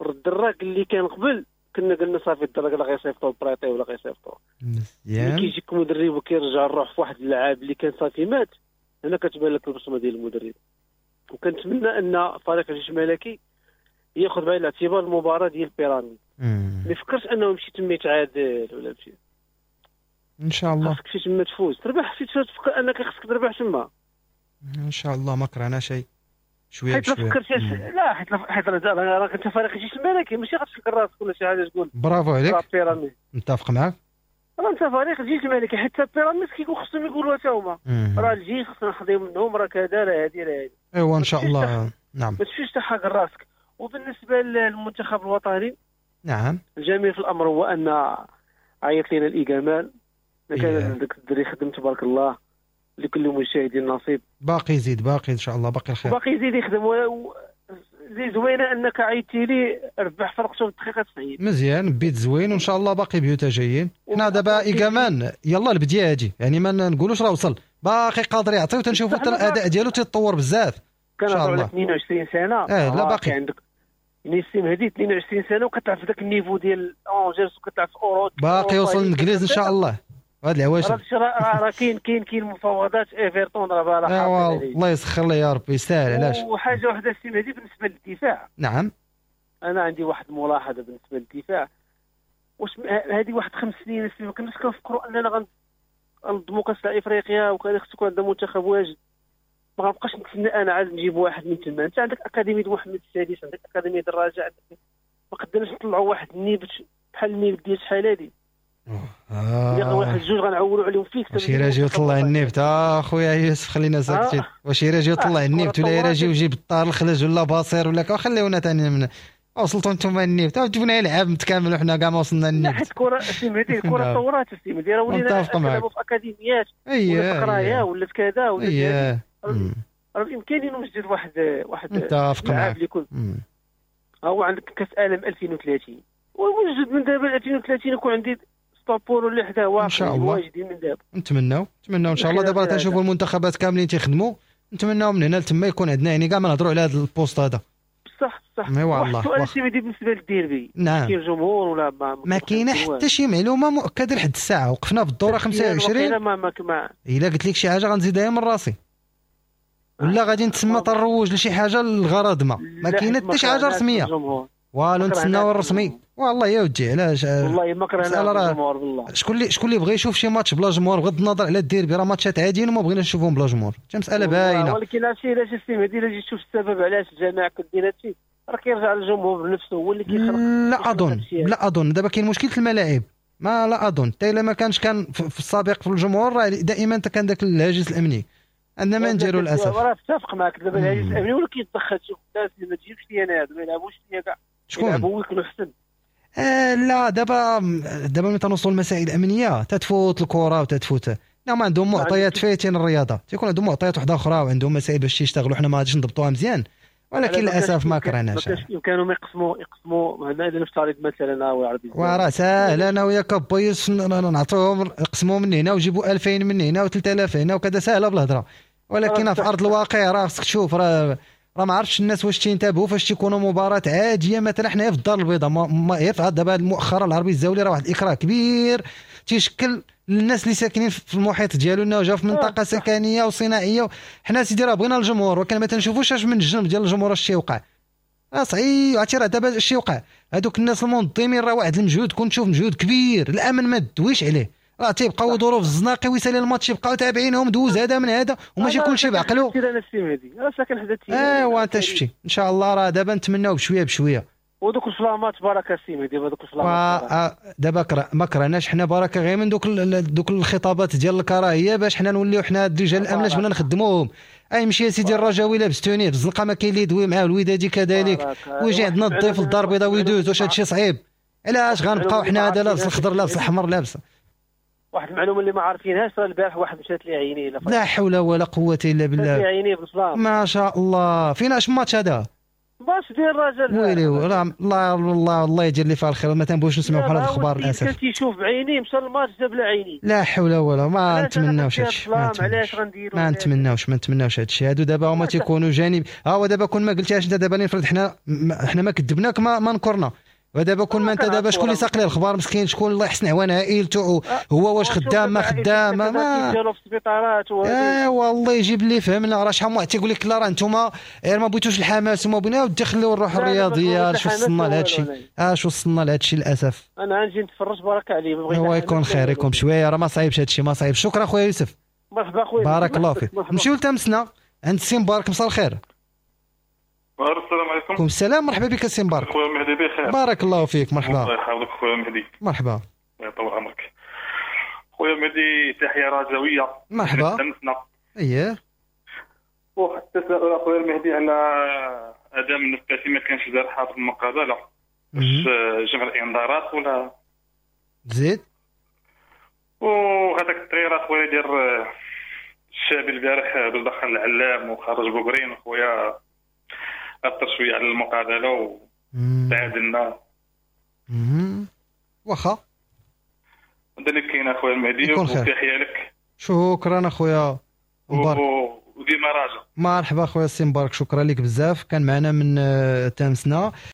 الدراك اللي كان قبل كنا قلنا صافي الدراك لا غيصيفطو prêté ولا غيصيفطو. مزيان. كيجيك مدرب وكيرجع الروح في واحد اللاعب اللي كان صافي مات، هنا كتبان لك البصمة ديال المدرب. وكنتمنى ان فريق الجيش الملكي ياخذ بعين الاعتبار المباراة ديال بيراميد. ما يفكرش انه يمشي تما يتعادل ولا يمشي. ان شاء الله خاصك تما تفوز تربح، تفكر انك خاصك تربح تما ان شاء الله. ما كرهنا شيء. شوية حيت بشوية. فكرت، لا حيت راه انت فريق الجيش الملكي، ماشي غتفكر راسك ولا شي حاجة تقول برافو عليك. بيراميد. متفق معاك. راه انت فريق الجيش الملكي، حتى بيراميد كيكون خصهم يقولوا حتى هما راه الجيش خصنا نحضيو منهم، راه كذا راه هادي راه هادي. ايوا ان شاء الله. نعم ما تمشيش تحقر راسك. وبالنسبة للمنتخب الوطني، نعم، الجميل في الامر هو ان عيط لنا الايجامان، كان داك الدري خدم تبارك الله، لكل مشاهد نصيب. باقي يزيد، باقي ان شاء الله، باقي الخير، باقي يزيد يخدم. زي زوينة انك عيطتي لي ربح فرقته في الدقيقة 90. مزيان، بيت زوين، وان شاء الله باقي بيوتا جايين. حنا دابا ايكامان يلا البديه هادي، يعني ما نقولوش راه وصل، باقي قادر يعطي، وتنشوفوا حتى الاداء ديالو تيتطور بزاف. كان على 22 سنة. لا باقي عندك يعني السي مهدي 22 سنة وكتلعب في ذاك ال niveau ديال اونجيرس وكتلعب في اوروبا، باقي يوصل للانجليز ان شاء الله. هاد العواشر راه كاين مفاوضات ايفرتون راه راه الله يسخر لي يا ربي، يستاهل. علاش؟ وحاجه واحدة السي مهدي بالنسبة للدفاع. نعم، انا عندي واحد الملاحظة بالنسبة للدفاع. واش هذه واحد 5 سنين ما كناش كنفكروا اننا غنضموا كاس افريقيا وكان خص يكون عندنا منتخب واجد؟ ما غنبقاش نتسنى انا عاد نجيب واحد من تما. انت عندك اكاديمية محمد السادس، عندك اكاديمية الرجاء، عندك ما قدرناش نطلعوا واحد النيبت بحال النيبت ديال شحال هادي. واحد جوج غنعولوا عليهم فيك. واش يراجي وطلع النيبت اخويا يوسف، خلينا ساكتين. واش يراجي وطلع النيبت ولا يراجي وجيب الطار الخلج ولا باصير ولا خليونا ثاني من وصلتوا انتم النيبت جبنا لعاب متكامل وحنا كاع ما وصلنا للنيبت. لا حيت الكره السي مهدي، الكره تطورات السي مهدي، راه ولينا نلعبوا في اكاديميات ولا قرايه ولا كذا ولا راه بامكاني نوجد واحد متفق اللي يكون هو عندك كاس عالم 2030، ووجد من دابا 2030 يكون عندي طابور ولا حدا واقف ان شاء الله واجدين من دابا. نتمناو ان شاء الله. دابا تنشوفوا المنتخبات كاملين تيخدموا، نتمناو من هنا لتما يكون عندنا يعني كاع ما نهضروا على هذا ال poste هذا. بصح بصح. ايوا الله. السؤال السي مهدي بالنسبة للديربي، نعم، كاين جمهور ولا ما كاينه حتى شي معلومة مؤكدة لحد الساعة؟ وقفنا في الدورة 25. ما الا قلت لك شي حاجة غنزيدها من راسي، ولا غادي نتسمى تروج لشي حاجة للغرض. ما كاينه حتى شي حاجة رسمية، والو، نتسناو الرسمي. والله يا ودي علاش، والله ما كرهنا الجمهور بالله. شكون اللي بغى يشوف شي ماتش بلا جمهور، بغض النظر على الديربي، راه ماتشات عاديين وما بغيناش نشوفهم بلا جمهور، حتى مسالة باينة. ولكن هادشي علاش السي مهدي، الا جيت تشوف السبب علاش الجماعة كدير هادشي، راه كيرجع للجمهور بنفسه هو اللي كيخلق. لا اظن دابا كاين مشكلة الملاعب، ما لا اظن حتى الا ما كانش كان في السابق في الجمهور راه دائما كان ذاك الهاجس الامني، عندنا ما نديروا للاسف. راه اتفق معك دابا الهاجس الامني ولا كيتدخل شوف الناس اللي ما تجيبش لي انا، ما يلعبوش ليا كاع، شكون يلعبوا ويكونوا احسن. لا دابا ملي تنوصلوا للمسائل الامنية تتفوت الكره وتتفوت، لا ما عندهم معطيات فايتين الرياضة، تيكون عندهم معطيات وحده اخرى وعندهم مسائل باش يشتغلوا، حنا ما غاديش نضبطوها مزيان، ولكن للاسف ما كرهناش. كانوا يقسموا هنا نفترض مثلا العربي، وراه ساهل انا وياك با يوسف نعطيهم يقسموا من هنا ويجيبوا 2000 من هنا و3000 هنا وكذا، ساهله بالهضره، ولكن في ارض الواقع راه خصك تشوف، راه ما عرفتش الناس واش تينتبهوا فاش تيكونوا مباراة عادية. مثلا حنا في الدار البيضاء ما هي دابا مؤخرا العربي الزاولي راه واحد الاكراه كبير تيشكل للناس اللي ساكنين في المحيط ديالو، انه جا في منطقة سكنية وصناعيه. حنا سيدي راه بغينا الجمهور، ولكن ما تنشوفوش اش من الجنب ديال الجمهور اش تيوقع. راه صعيب، عرفتي راه دابا اش تيوقع، هذوك الناس المنظمين راه واحد المجهود، كنت تشوف مجهود كبير، الامن ما دويش عليه، راه تيبقاو يدوروا في الزناقي ويسالي الماتش يبقاو تابعينهم، دوز هذا من هذا، وماشي كلشي بعقلو. ايوا انت شفتي ان شاء الله راه دابا نتمناو بشوية بشوية. ودوك الفلامات بركة سي مهدي، دوك الفلامات دابا ما كرهناش حنا بركة غير من دوك الخطابات ديال الكراهية باش حنا نوليو حنا رجال الامن باش بغينا نخدموهم. اي مشي يا سيدي الرجاوي لابس tenue في الزنقة ما كاين اللي يدوي معاه، الودادي كذلك، ويجي عندنا الضيف للدار البيضاء ويدوز. واش هادشي صعيب؟ علاش غنبقاو حنا هذا لابس الخضر لابس الاحمر لابس؟ واحد المعلومة اللي ما عارفينهاش، راه البارح واحد مشات لي عينيه. لا حول ولا قوة الا بالله، مشات لي عينيه بالصلاة. ما شاء الله. فين اش ماتش هذا؟ ماتش ديال الرجاء. ويلي الله الله الله يدير لي فيها الخير، ما تنبغوش نسمعوا بحال هاد الاخبار للاسف. كان تيشوف بعينيه مشى الماتش جاب له عينيه. لا حول ولا، ما نتمناوش هادشي. علاش غنديروا؟ ما نتمناوش هادشي. هادو دابا هما تيكونوا جانب. ها هو دابا كون ما قلتيهاش انت دابا نفرض حنا ما كذبناك ما نكرنا، ودابا كون ما انت دابا شكون اللي ساق ليه الخبار مسكين؟ شكون الله يحسن عوان عائلته، هو واش خدام ما خدام ما ديالو في السبيطارات. ايوا الله يجيب اللي فهمنا. راه شحال من واحد تيقول لك لا راه انتم غير ما بغيتوش الحماس وما بغينا، ودي خليو الروح الرياضية. اش وصلنا لهذا الشيء؟ اش وصلنا لهذا الشيء للاسف. انا غنجي نتفرج بركة عليه، هو يكون خير يكون بشوية، راه ما صعيبش هذا الشيء، ما صعيب. شكرا خويا يوسف، مرحبا خويا، بارك الله فيك. نمشيو لتمسنا عند السي مبارك. مساء الخير. السلام عليكم. عليكم السلام، مرحبا بك سي مبارك. خويا مهدي بخير؟ بارك الله فيك، مرحبا. الله يحفظك خويا مهدي. مرحبا. الله يطول عمرك خويا مهدي، تحية رجويه. مرحبا. اييه. واحد التساؤل اخويا المهدي على ادم النفاسي، ما كانش دار حاضر المقابلة، واش جمع الانذارات ولا زيد؟ وهذاك التغيير اخويا ديال الشابي البارح باش دخل العلام وخرج بوغرين خويا، اثر شوية على المقابلة وتعادلنا. واخا هذا اللي كاين اخويا المهدي، وتحية لك. شكرا اخويا مبارك وديما راجع. مرحبا اخويا السي مبارك، شكرا لك بزاف. كان معنا من تامسنا.